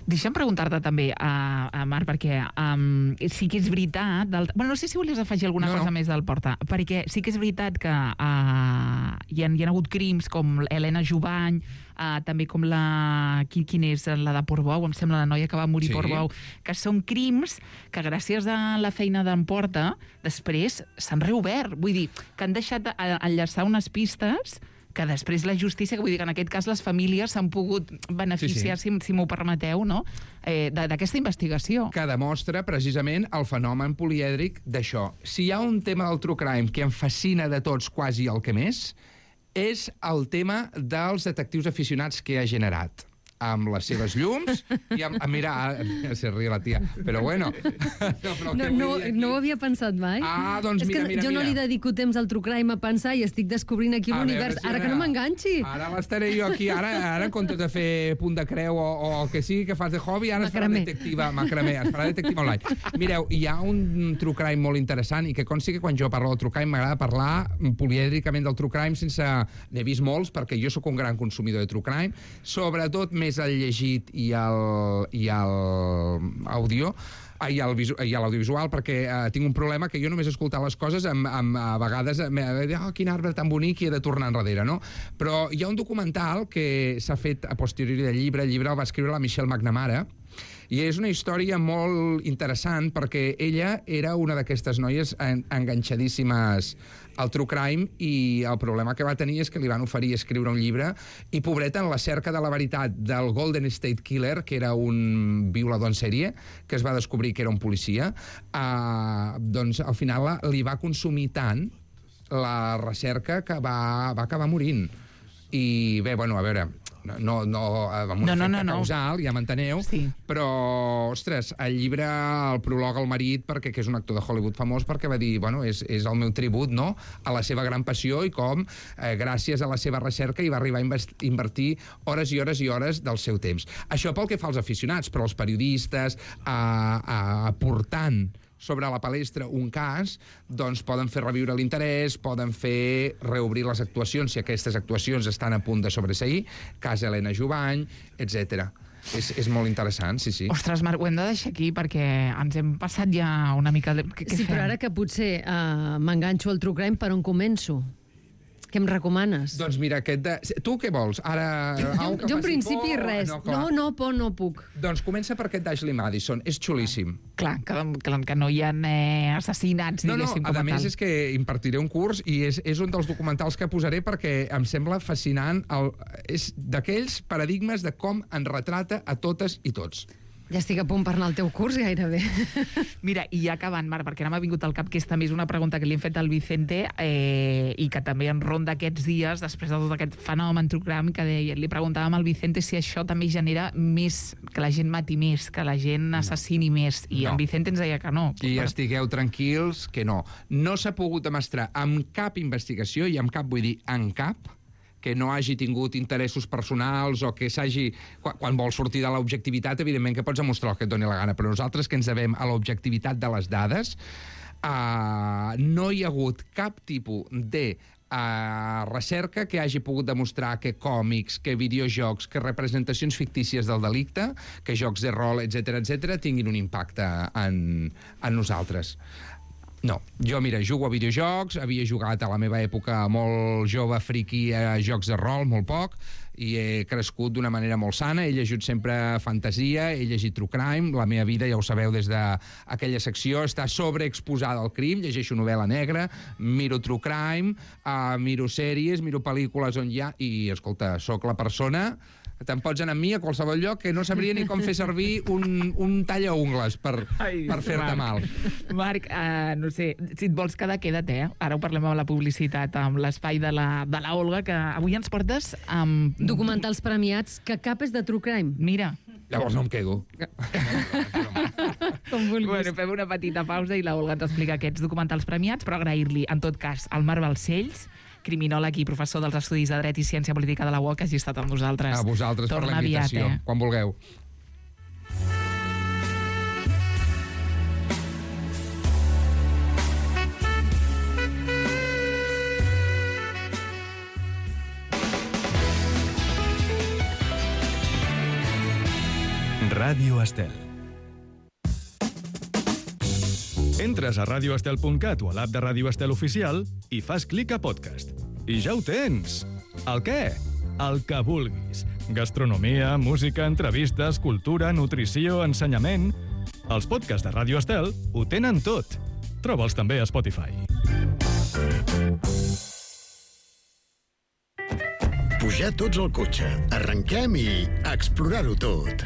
Deixa'm preguntar-te també, a, a Marc, perquè um, sí que és veritat... Del... Bueno, no sé si volies afegir alguna no, cosa no. més del Porta, perquè sí que és veritat que uh, hi, ha, hi ha hagut crims com Helena Jubany, uh, també com la... Qui, quin és? La de Portbou, em sembla, la noia que va morir a sí. Portbou, que són crims que gràcies a la feina d'en Porta després s'han reobert. Vull dir, que han deixat enllaçar unes pistes que després la justícia, que vull dir que en aquest cas les famílies s'han pogut beneficiar, sí, sí. si, si m'ho permeteu, no? eh, d'aquesta investigació. Que demostra precisament el fenomen polièdric d'això. Si hi ha un tema del true crime que em fascina de tots, quasi el que més, és el tema dels detectius aficionats que ha generat, amb les seves llums i amb... Mira, se ríe la tia, però bueno. No, però no, no, no ho havia pensat mai. Ah, doncs és mira, que mira, jo mira. no li dedico temps al true crime a pensar i estic descobrint aquí l'univers. Si ara que no m'enganxi. Ara l'estaré jo aquí, ara, ara en comptes de fer punt de creu o, o el que sigui que fas de hobby, ara es farà detectiva, macramé, es farà detectiva online. Mireu, hi ha un true crime molt interessant i que consti que quan jo parlo del true crime m'agrada parlar polièdricament del true crime sense... N'he vist molts perquè jo sóc un gran consumidor de true crime, sobretot més el llegit i el, i el àudio i l'audiovisual, perquè eh, tinc un problema que jo només escoltar les coses amb, amb, a vegades eh, oh, quin arbre tan bonic, i he de tornar enrere, no? Però hi ha un documental que s'ha fet a posteriori del llibre, el llibre el va escriure la Michelle McNamara, i és una història molt interessant perquè ella era una d'aquestes noies en, enganxadíssimes al true crime, i el problema que va tenir és que li van oferir escriure un llibre i, pobreta, en la cerca de la veritat del Golden State Killer, que era un violador en sèrie, que es va descobrir que era un policia, eh, doncs al final la, li va consumir tant la recerca que va, va acabar morint. I bé, bueno, a veure... No, no, amb un no, efecte no, no, no. causal, ja m'enteneu, sí. Però, ostres, el llibre el prologa el marit, perquè que és un actor de Hollywood famós, perquè va dir, bueno, és, és el meu tribut, no?, a la seva gran passió i com, eh, gràcies a la seva recerca, hi va arribar a invertir hores i hores i hores del seu temps. Això pel que fa als aficionats, però els periodistes, eh, eh, aportant sobre la palestra un cas, doncs poden fer reviure l'interès, poden fer reobrir les actuacions, si aquestes actuacions estan a punt de sobreseir, cas Helena Jubany, etcètera. És, és molt interessant, sí, sí. Ostres, Marc, ho hem de deixar aquí perquè ens hem passat ja una mica... De... Què, què sí, fem? Però ara que potser uh, m'enganxo al true crime, per on començo? Què em recomanes? Doncs mira, aquest de... Tu què vols? Ara... Jo, jo en principi por, res. No, no, no, por no puc. Doncs comença per aquest d'Ashley Madison. És xulíssim. Clar, que, que, que no hi ha eh, assassinats, no, diguéssim, no, com a a més tal. És que impartiré un curs i és, és un dels documentals que posaré perquè em sembla fascinant. El, és d'aquells paradigmes de com en retrata a totes i tots. Ja estic a punt per anar al teu curs, gairebé. Mira, i ja acabant, Marc, perquè ara m'ha vingut al cap que és també és una pregunta que li hem fet al Vicente eh, i que també en ronda aquests dies, després de tot aquest fenomen true crime, que deia, li preguntàvem al Vicente si això també genera més, que la gent mati més, que la gent assassini més, i No. en Vicente ens deia que no. I estigueu tranquils, que no. No s'ha pogut demostrar amb cap investigació, i amb cap vull dir en cap, que no hagi tingut interessos personals o que s'hagi... Quan, quan vols sortir de l'objectivitat, evidentment que pots demostrar el que et doni la gana, però nosaltres que ens devem a l'objectivitat de les dades, uh, no hi ha hagut cap tipus de uh, recerca que hagi pogut demostrar que còmics, que videojocs, que representacions fictícies del delicte, que jocs de rol, etcètera, etcètera, tinguin un impacte en, en nosaltres. No, jo, mira, jugo a videojocs, havia jugat a la meva època molt jove, friqui, a jocs de rol, molt poc, i he crescut d'una manera molt sana, he llegit sempre fantasia, he llegit true crime, la meva vida, ja ho sabeu, des d'aquella secció, està sobreexposada al crim, llegeixo novel·la negra, miro true crime, uh, miro sèries, miro pel·lícules on hi ha, i, escolta, sóc la persona... Te'n pots anar amb mi a qualsevol lloc que no sabria ni com fer servir un, un talla-ungles per, Ai, per fer-te Marc. mal. Marc, uh, no sé, si et vols quedar, queda't, eh? Ara ho parlem amb la publicitat, amb l'espai de la, de la Olga, que avui ens portes amb... Documentals premiats, que cap és de true crime. Mira. Llavors no em quedo. Com vulguis. Bueno, fem una petita pausa i la Olga ens explica aquests documentals premiats, però agrair-li, en tot cas, al Marc Balcells, criminòleg i professor dels Estudis de Dret i Ciència Política de la U O C, que hagi estat amb nosaltres. A vosaltres Torna per la invitació, aviat, eh? quan vulgueu. Ràdio Estel. Entres a radio estel punt cat o a l'app de Ràdio Estel Oficial i fas clic a podcast. I ja ho tens! El què? El que vulguis. Gastronomia, música, entrevistes, cultura, nutrició, ensenyament... Els podcasts de Ràdio Estel ho tenen tot. Troba'ls també a Spotify. Pujar tots al cotxe, arrenquem i explorar-ho tot.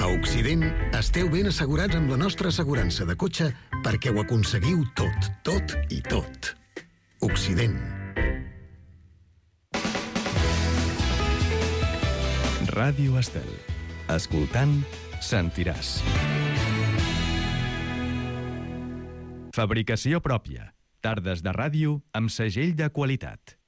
A Occident esteu ben assegurats amb la nostra assegurança de cotxe perquè ho aconseguiu tot, tot i tot. Occident. Ràdio Estel. Escoltant, sentiràs. Fabricació pròpia. Tardes de ràdio amb segell de qualitat.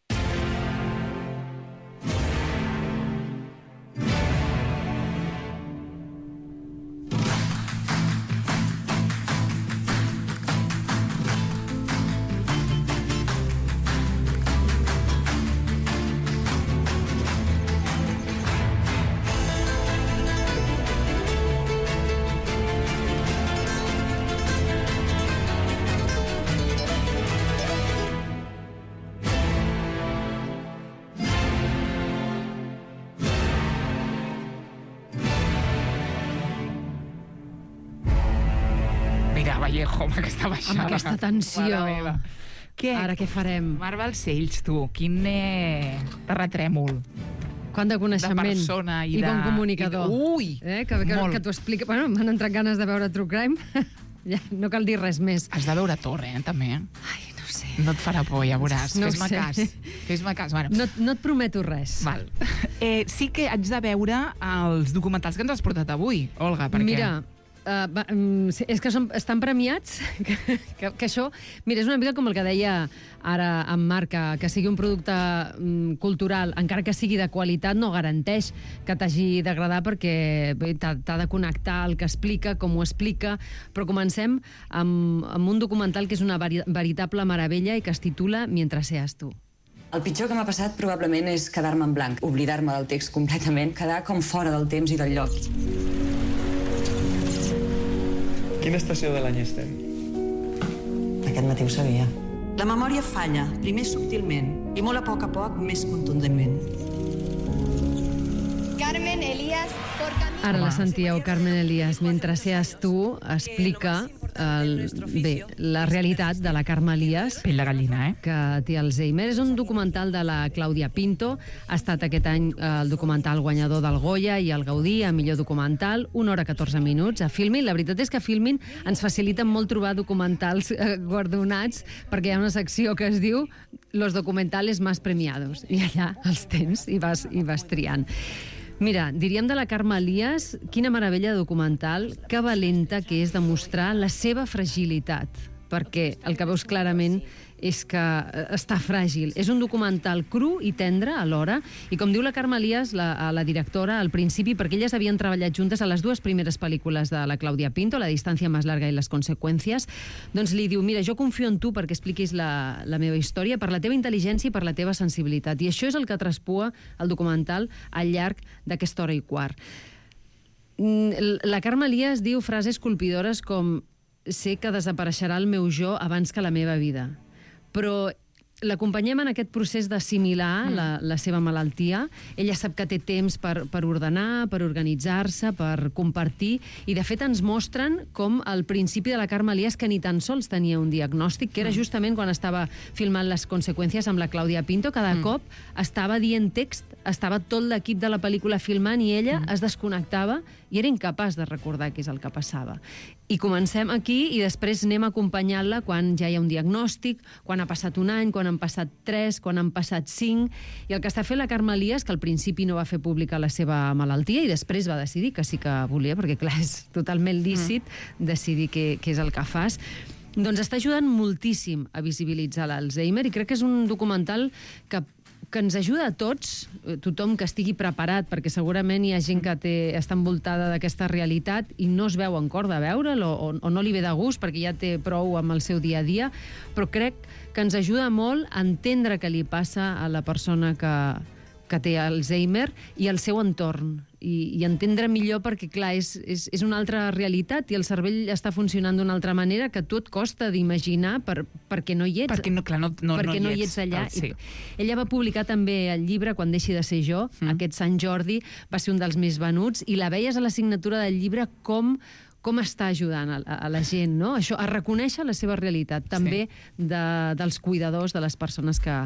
Vallejo, amb aquesta baixada. Amb aquesta tensió. Mare meva. Què? Ara què farem? Marc Balcells, tu, quin eh, terratrèmol. Quant de coneixement. De persona i, I de... bon comunicador. I de... Ui! Eh? Que, que, que t'ho explica... Bueno, m'han entrat ganes de veure True Crime. Ja, no cal dir res més. Has de veure Torre, eh, també. Ai, no sé. No et farà por, ja veuràs. No Fes-me sé. cas. Fes-me cas. Bueno. No, no et prometo res. Val. Eh, sí que haig de veure els documentals que ens has portat avui, Olga, perquè... Mira, uh, va, um, és que són, estan premiats, que, que, que això... Mira, és una mica com el que deia ara en Marc, que, que sigui un producte um, cultural, encara que sigui de qualitat, no garanteix que t'hagi d'agradar perquè t'ha de connectar el que explica, com ho explica, però comencem amb, amb un documental que és una veri, veritable meravella i que es titula Mientras seas tú. El pitjor que m'ha passat probablement és quedar-me en blanc, oblidar-me del text completament, quedar com fora del temps i del lloc. Quina estació de l'any estem? Aquest matí ho sabia. La memòria falla, primer subtilment, i molt a poc a poc més contundentment. Ara la sentíeu, Carmen Elías. Mentre seas tu, explica el, bé, la realitat de la Carme Elias, pell de gallina, eh? que té Alzheimer. És un documental de la Clàudia Pinto. Ha estat aquest any el documental guanyador del Goya i el Gaudí a millor documental, una hora catorze minuts a Filmin. La veritat és que Filmin ens facilita molt trobar documentals eh, guardonats, perquè hi ha una secció que es diu Los documentales más premiados, i allà els tens i vas, i vas triant. Mira, diríem de la Carme Elias, quina meravella de documental, que valenta que és demostrar la seva fragilitat, perquè el que veus clarament és que està fràgil. És un documental cru i tendre alhora, i com diu la Carme Elias, la, la directora, al principi, perquè elles havien treballat juntes a les dues primeres pel·lícules de la Clàudia Pinto, La distància més larga i Les conseqüències, doncs li diu, mira, jo confio en tu perquè expliquis la, la meva història, per la teva intel·ligència i per la teva sensibilitat. I això és el que traspua el documental al llarg d'aquesta hora i quart. La Carme Elias diu frases colpidores com sé que desapareixerà el meu jo abans que la meva vida. Però l'acompanyem en aquest procés d'assimilar mm. la, la seva malaltia. Ella sap que té temps per, per ordenar, per organitzar-se, per compartir, i de fet ens mostren com al principi de la Carme Elias, que ni tan sols tenia un diagnòstic, que era justament quan estava filmant Les conseqüències amb la Clàudia Pinto, cada mm. cop estava dient text, estava tot l'equip de la pel·lícula filmant i ella mm. es desconnectava i era incapaç de recordar què és el que passava. I comencem aquí i després anem acompanyant-la quan ja hi ha un diagnòstic, quan ha passat un any, quan han passat tres, quan han passat cinc, i el que està fent la Carme Elias, que al principi no va fer pública la seva malaltia i després va decidir que sí que volia, perquè clar, és totalment lícit mm. decidir què, què és el que fas, doncs està ajudant moltíssim a visibilitzar l'Alzheimer, i crec que és un documental que que ens ajuda a tots, tothom que estigui preparat, perquè segurament hi ha gent que té, està envoltada d'aquesta realitat i no es veu en cor de veure'l o, o, o no li ve de gust perquè ja té prou amb el seu dia a dia, però crec que ens ajuda molt a entendre què li passa a la persona que, que té Alzheimer i al seu entorn, i, i entendre millor perquè, clar, és, és, és una altra realitat i el cervell està funcionant d'una altra manera que tu et costa d'imaginar per, perquè no hi ets. Perquè no, clar, no, no, perquè no, no hi ets allà. Sí. Ella va publicar també el llibre Quan deixi de ser jo, mm. aquest Sant Jordi va ser un dels més venuts, i la veies a la signatura del llibre com com està ajudant a, a la gent, no? Això, a reconèixer la seva realitat, també sí. de, dels cuidadors, de les persones que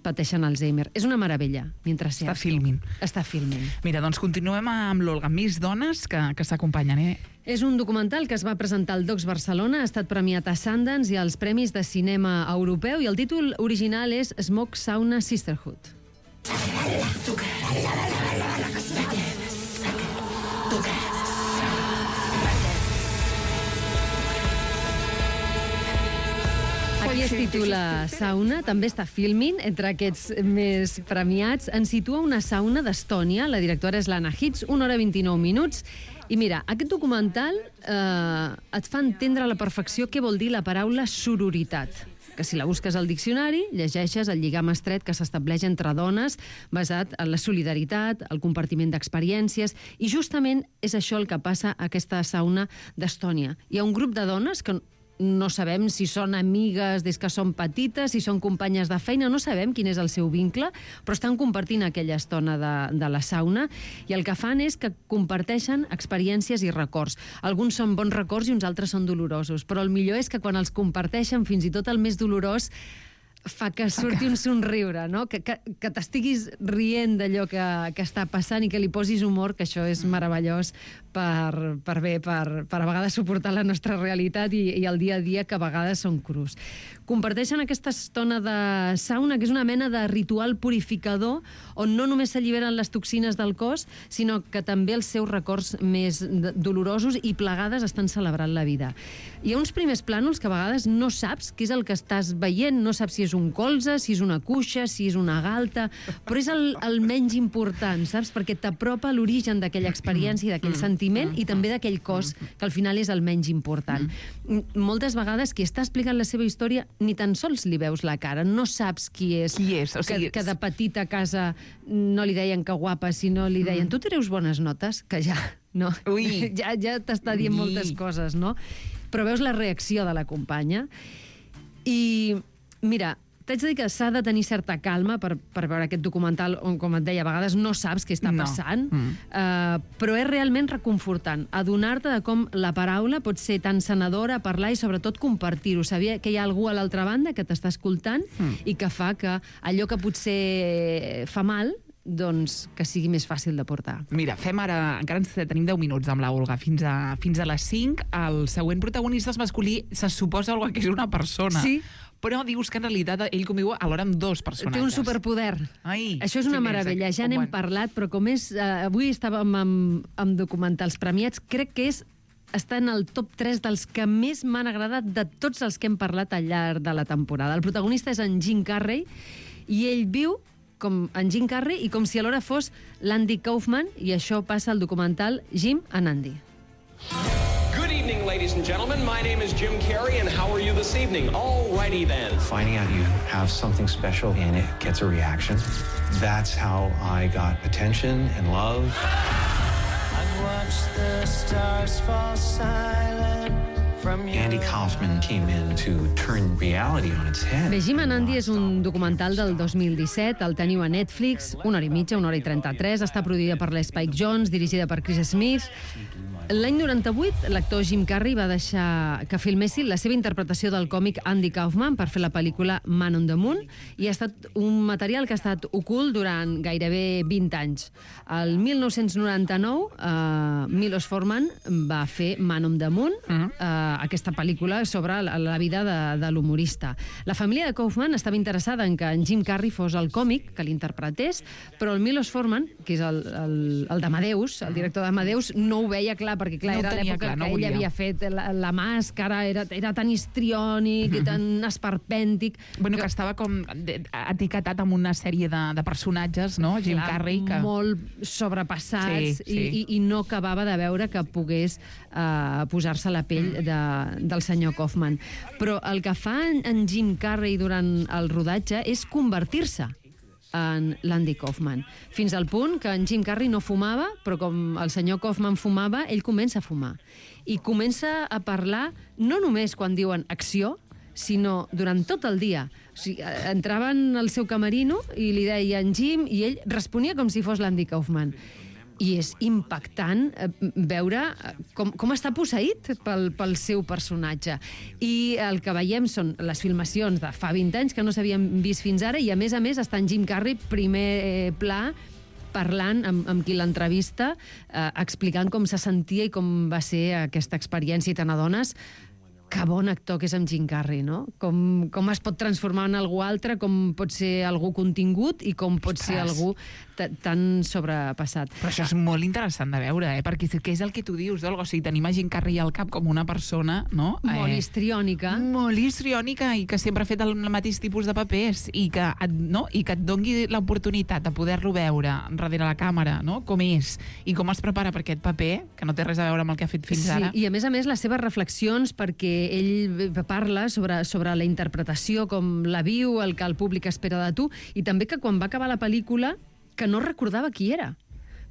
pateixen Alzheimer. És una meravella, mentre Està filmint. Està filmint. Mira, doncs continuem amb l'Olga, més dones que, que s'acompanyen, eh? És un documental que es va presentar al Docs Barcelona, ha estat premiat a Sundance i als Premis de Cinema Europeu, i el títol original és Smoke Sauna Sisterhood. Aquí es titula Sauna, també està filming, entre aquests més premiats. Ens situa una sauna d'Estònia, la directora és l'Anna Hitz, una hora vint-i-nou minuts. I mira, aquest documental eh, et fa entendre a la perfecció què vol dir la paraula sororitat, que si la busques al diccionari, llegeixes el lligam estret que s'estableix entre dones basat en la solidaritat, el compartiment d'experiències, i justament és això el que passa a aquesta sauna d'Estònia. Hi ha un grup de dones que no sabem si són amigues des que són petites, si són companyes de feina, no sabem quin és el seu vincle, però estan compartint aquella estona de, de la sauna, i el que fan és que comparteixen experiències i records. Alguns són bons records i uns altres són dolorosos, però el millor és que quan els comparteixen, fins i tot el més dolorós, fa que surti un somriure, no? Que, que, que t'estiguis rient d'allò que, que està passant i que li posis humor, que això és meravellós per, per bé, per, per a vegades suportar la nostra realitat i, i el dia a dia, que a vegades són crus. Comparteixen aquesta estona de sauna, que és una mena de ritual purificador, on no només s'alliberen les toxines del cos, sinó que també els seus records més dolorosos i plegades estan celebrant la vida. Hi ha uns primers plànols que a vegades no saps què és el que estàs veient, no saps si és un colze, si és una cuixa, si és una galta, però és el, el menys important, saps? Perquè t'apropa a l'origen d'aquella experiència, d'aquell sentiment i també d'aquell cos, que al final és el menys important. Moltes vegades qui està explicant la seva història ni tan sols li veus la cara, no saps qui és. Qui és? O sigui, que, que de petita a casa no li deien que guapa, sinó li deien tu treus bones notes, que ja, no? Ui. Ja, ja t'està dient moltes coses, no? Però veus la reacció de la companya i, mira, t'haig de dir que s'ha de tenir certa calma per, per veure aquest documental on, com et deia, a vegades no saps què està No. passant, Mm. uh, però és realment reconfortant adonar-te de com la paraula pot ser tan sanadora, parlar i sobretot compartir-ho, saber que hi ha algú a l'altra banda que t'està escoltant Mm. i que fa que allò que potser fa mal, doncs que sigui més fàcil de portar. Mira, fem ara... Encara ens tenim deu minuts amb la Olga, fins a, fins a les cinc. El següent protagonista és masculí, se suposa que és una persona. Sí. Però dius que en realitat ell conviu alhora amb dos personatges. Té un superpoder. Ai, Això és una sí, més, meravella. Ja com n'hem quan- parlat, però com és... Eh, avui estàvem amb, amb documentals premiats, crec que és està en el top tres dels que més m'han agradat de tots els que hem parlat al llarg de la temporada. El protagonista és en Jim Carrey i ell viu com en Jim Carrey i com si alhora fos l'Andy Kaufman, i això passa al documental Jim and Andy. Good evening, ladies and gentlemen. My name is Jim Carrey, and how are you this evening? Alrighty then. Finding out you have something special and it gets a reaction. That's how I got attention and love. I've watched the stars fall silent from you. Andy Kaufman came in to turn reality on its head. Bé, Jim and Andy és un documental del dos mil disset, el teniu a Netflix, una hora i mitja, una hora i trenta-tres, està produïda per l'Spike Jonze, dirigida per Chris Smith. L'any noranta-vuit, l'actor Jim Carrey va deixar que filmessin la seva interpretació del còmic Andy Kaufman per fer la pel·lícula Man on the Moon, i ha estat un material que ha estat ocult durant gairebé vint anys. El mil nou-cents noranta-nou, uh, Milos Forman va fer Man on the Moon, uh, aquesta pel·lícula sobre la, la vida de, de l'humorista. La família de Kaufman estava interessada en que en Jim Carrey fos el còmic que l'interpretés, però el Milos Forman, que és el, el, el d'Amadeus, el director d'Amadeus, no ho veia clar, perquè clar, No ho era tenia l'època clar, no que ell volia. havia fet la, la màscara, era, era tan histriònic i tan esperpèntic... Bueno, que, que estava com de- etiquetat amb una sèrie de, de personatges, no? Jim Clar, Carrey, que... molt sobrepassats, Sí, sí. I, i, i no acabava de veure que pogués uh, posar-se a la pell de, del senyor Kaufman. Però el que fa en, en Jim Carrey durant el rodatge és convertir-se en l'Andy Kaufman, fins al punt que en Jim Carrey no fumava, però com el senyor Kaufman fumava, ell comença a fumar. I comença a parlar no només quan diuen acció, sinó durant tot el dia. O sigui, eh, entraven al seu camerino i li deien Jim, i ell responia com si fos l'Andy Kaufman. I és impactant eh, veure eh, com, com està posseït pel, pel seu personatge. I el que veiem són les filmacions de fa vint anys que no s'havien vist fins ara, i a més a més està en Jim Carrey primer eh, pla parlant amb, amb qui l'entrevista, eh, explicant com se sentia i com va ser aquesta experiència, i te n'adones que bon actor que és amb Jim Carrey, no? Com, com es pot transformar en algú altre, com pot ser algú contingut i com pot ser Ostres. algú t- tan sobrepassat. Però això és molt interessant de veure, eh? Perquè què és el que tu dius, Olga? O sigui, tenim a Jim Carrey al cap com una persona, no? Molt histriònica. Molt histriònica i que sempre ha fet el mateix tipus de papers i que et, no? I que et dongui l'oportunitat de poder-lo veure darrere la càmera, no? Com és i com es prepara per aquest paper, que no té res a veure amb el que ha fet fins Sí, ara. i a més a més les seves reflexions, perquè ell parla sobre, sobre la interpretació, com la viu, el que el públic espera de tu, i també que quan va acabar la pel·lícula que no recordava qui era,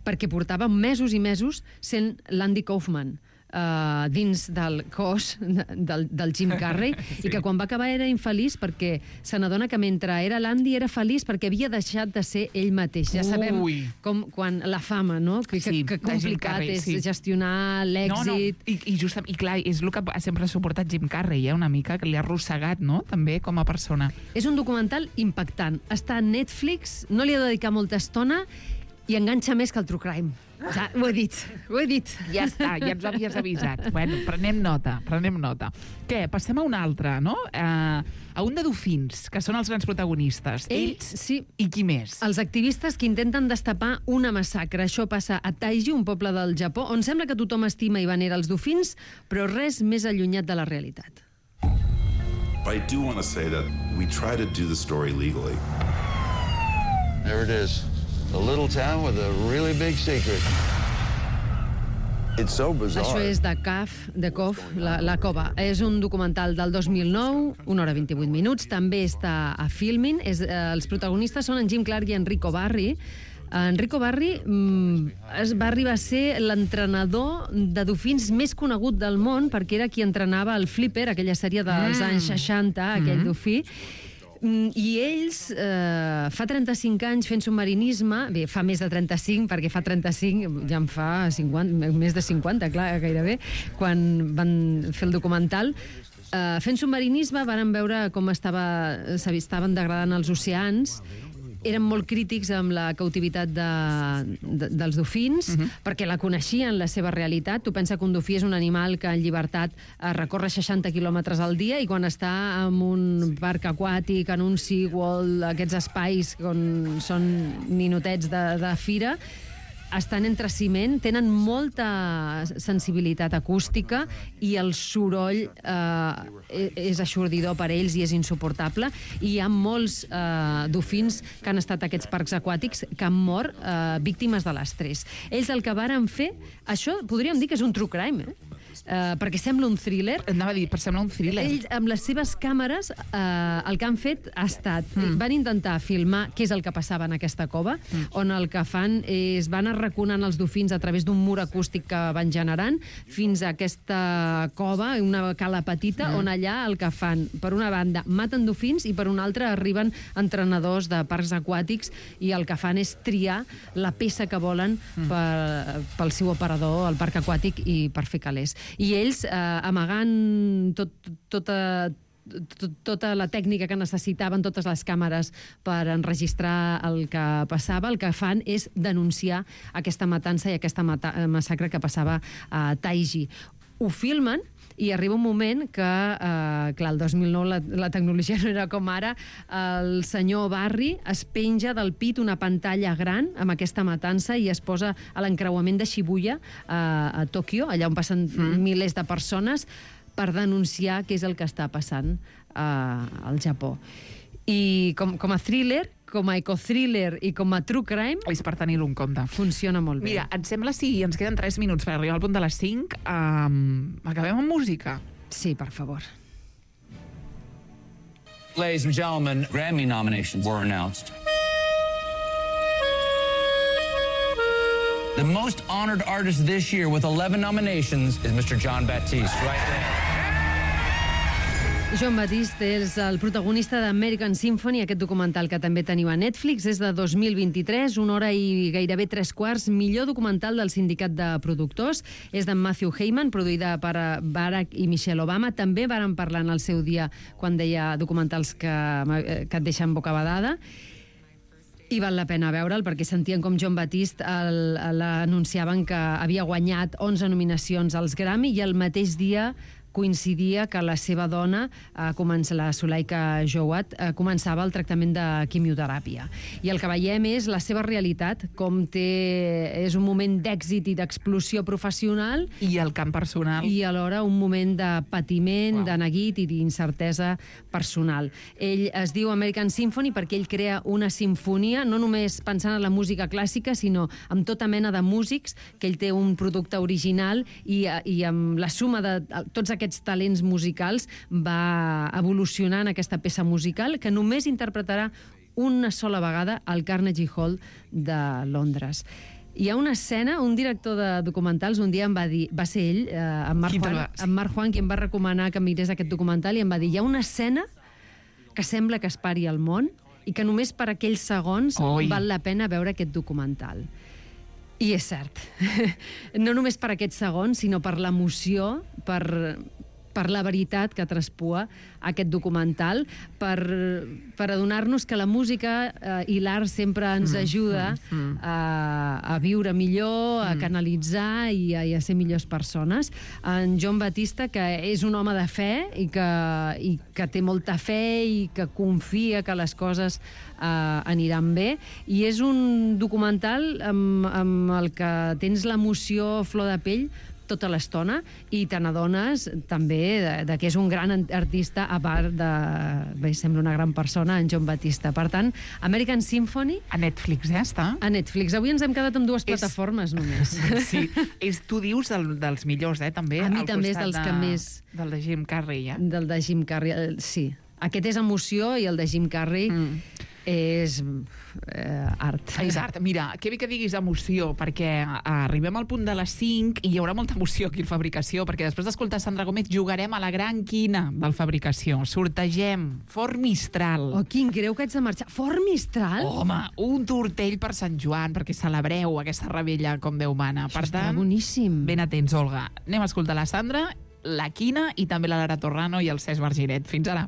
perquè portava mesos i mesos sent l'Andy Kaufman uh, dins del cos del, del Jim Carrey, sí. I que quan va acabar era infeliç perquè se n'adona que mentre era l'Andy era feliç perquè havia deixat de ser ell mateix. Ja sabem Ui. com quan la fama, no? Que, Sí, que, que de Jim complicat Carrey, és sí. gestionar l'èxit. No, no. I, i, just, i clar, és el que ha sempre suportat Jim Carrey, eh? Una mica, que li ha arrossegat, no? També com a persona. És un documental impactant. Està a Netflix, no li he de dedicar molta estona i enganxa més que el True Crime. Ja, ho he dit, ho he dit. Ja està, ja ens havies avisat. Bueno, prenem nota, prenem nota. Què, passem a un altre, no? Uh, a un de dofins, que són els grans protagonistes. Ells, sí. I qui més? Els activistes que intenten destapar una massacre. Això passa a Taiji, un poble del Japó, on sembla que tothom estima i venera els dofins, però res més allunyat de la realitat. I do want to say that we try to do the story legally. There it is. A little town with a really big secret. It's so bizarre. Això és de C A F, de C O F, la, la cova. És un documental del dos mil nou, una hora vint-i-vuit minuts, també està a Filmin. És, eh, els protagonistes són en Jim Clark i Enrico Barri. Enrico Barri mm, es va arribar a ser l'entrenador de dofins més conegut del món, perquè era qui entrenava el Flipper, aquella sèrie dels Mm. anys seixanta, aquell Mm. dofí. I ells, eh, fa trenta-cinc anys fent submarinisme, bé, fa més de trenta-cinc, perquè fa trenta-cinc, ja en fa cinquanta, més de cinquanta, clar, gairebé, quan van fer el documental, eh, fent submarinisme van veure com estava, s'estaven degradant els oceans. Eren molt crítics amb la cautivitat de, de, dels dofins, uh-huh. perquè la coneixien, la seva realitat. Tu pensa que un dofí és un animal que en llibertat eh, recorre seixanta quilòmetres al dia i quan està en un parc aquàtic, en un SeaWorld, aquests espais on són ninotets de, de fira, estan entre ciment, tenen molta sensibilitat acústica i el soroll eh, és aixordidor per ells i és insuportable. I hi ha molts eh, dofins que han estat a aquests parcs aquàtics que han mort eh, víctimes de l'estrès. Ells el que varen fer, això podríem dir que és un true crime, eh? Uh, perquè sembla un thriller. Anava a dir, per sembla un thriller. Ells, amb les seves càmeres, uh, el que han fet ha estat... Mm. Van intentar filmar què és el que passava en aquesta cova, mm. on el que fan és van arraconant els dofins a través d'un mur acústic que van generant fins a aquesta cova, una cala petita, mm. on allà el que fan, per una banda, maten dofins i per una altra arriben entrenadors de parcs aquàtics i el que fan és triar la peça que volen mm. per, pel seu operador al parc aquàtic i per fer calés. I ells, eh, amagant tot, tota, tot, tota la tècnica que necessitaven, totes les càmeres per enregistrar el que passava, el que fan és denunciar aquesta matança i aquesta mata massacre que passava a Taiji. Ho filmen i arriba un moment que, eh, clar, el dos mil nou la, la tecnologia no era com ara, el senyor Barry es penja del pit una pantalla gran amb aquesta matança i es posa a l'encreuament de Shibuya, eh, a Tòquio, allà on passen mm. milers de persones, per denunciar què és el que està passant eh, al Japó. I com, com a thriller, com a ecothriller i com a true crime... És per tenir-ho en compte. Funciona molt bé. Mira, et sembla si ens queden tres minuts per arribar al punt de les cinc? Um, acabem amb música? Sí, per favor. Ladies and gentlemen, Grammy nominations were announced. The most honored artist this year with eleven nominations is Mister Jon Batiste, right there. Jon Batiste és el protagonista d'American Symphony, aquest documental que també teniu a Netflix. És de dos mil vint-i-tres, una hora i gairebé tres quarts, millor documental del sindicat de productors. És d'en Matthew Heyman, produïda per Barack i Michelle Obama. També varen parlar en el seu dia quan deia documentals que, que et deixen bocabadada. I val la pena veure'l perquè sentien com Jon Batiste l'anunciaven que havia guanyat onze nominacions als Grammy i el mateix dia coincidia que la seva dona, eh, comença, la Suleika Jowat, eh, començava el tractament de quimioteràpia. I el que veiem és la seva realitat, com té... És un moment d'èxit i d'explosió professional. I el camp personal. I alhora un moment de patiment, wow. de neguit i d'incertesa personal. Ell es diu American Symphony perquè ell crea una simfonia, no només pensant en la música clàssica, sinó amb tota mena de músics, que ell té un producte original i, i amb la suma de tots aquests aquests talents musicals va evolucionar en aquesta peça musical que només interpretarà una sola vegada al Carnegie Hall de Londres. Hi ha una escena, un director de documentals un dia em va dir, va ser ell, eh, en Mark Juan, en Mark Juan, qui em va recomanar que mirés aquest documental, i em va dir, hi ha una escena que sembla que es pari el món i que només per aquells segons Oi. val la pena veure aquest documental. I és cert. No només per aquests segons, sinó per l'emoció, per, per la veritat que traspua aquest documental, per, per adonar-nos que la música eh, i l'art sempre ens mm, ajuda mm, mm. A, a viure millor, a mm. canalitzar i a, i a ser millors persones. En Jon Batiste, que és un home de fe i que, i que té molta fe i que confia que les coses eh, aniran bé, i és un documental amb, amb el que tens l'emoció a flor de pell tota l'estona i te n'adones també de, de que és un gran artista, a part de... Bé, sembla una gran persona, en Jon Batiste. Per tant, American Symphony... A Netflix, ja està. A Netflix. Avui ens hem quedat amb dues és... plataformes només. Sí, és, tu dius del, dels millors, eh, també. A mi també és dels de, que més... Del de Jim Carrey, ja. Del de Jim Carrey, sí. Aquest és emoció i el de Jim Carrey... Mm. És eh, art. És art. Mira, que bé que diguis emoció, perquè arribem al punt de les cinc i hi haurà molta emoció aquí al Fabricació, perquè després d'escoltar Sandra Gómez jugarem a la gran quina del Fabricació. Sortegem Fort Mistral. Oh, quin greu que haig de marxar. Fort Mistral? Home, un tortell per Sant Joan, perquè celebreu aquesta rebella com Déu mana. Això per estarà tant, boníssim. ben atents, Olga. Anem a escoltar la Sandra, la Quina i també la Lara Torrano i el Cesc Vergiret. Fins ara.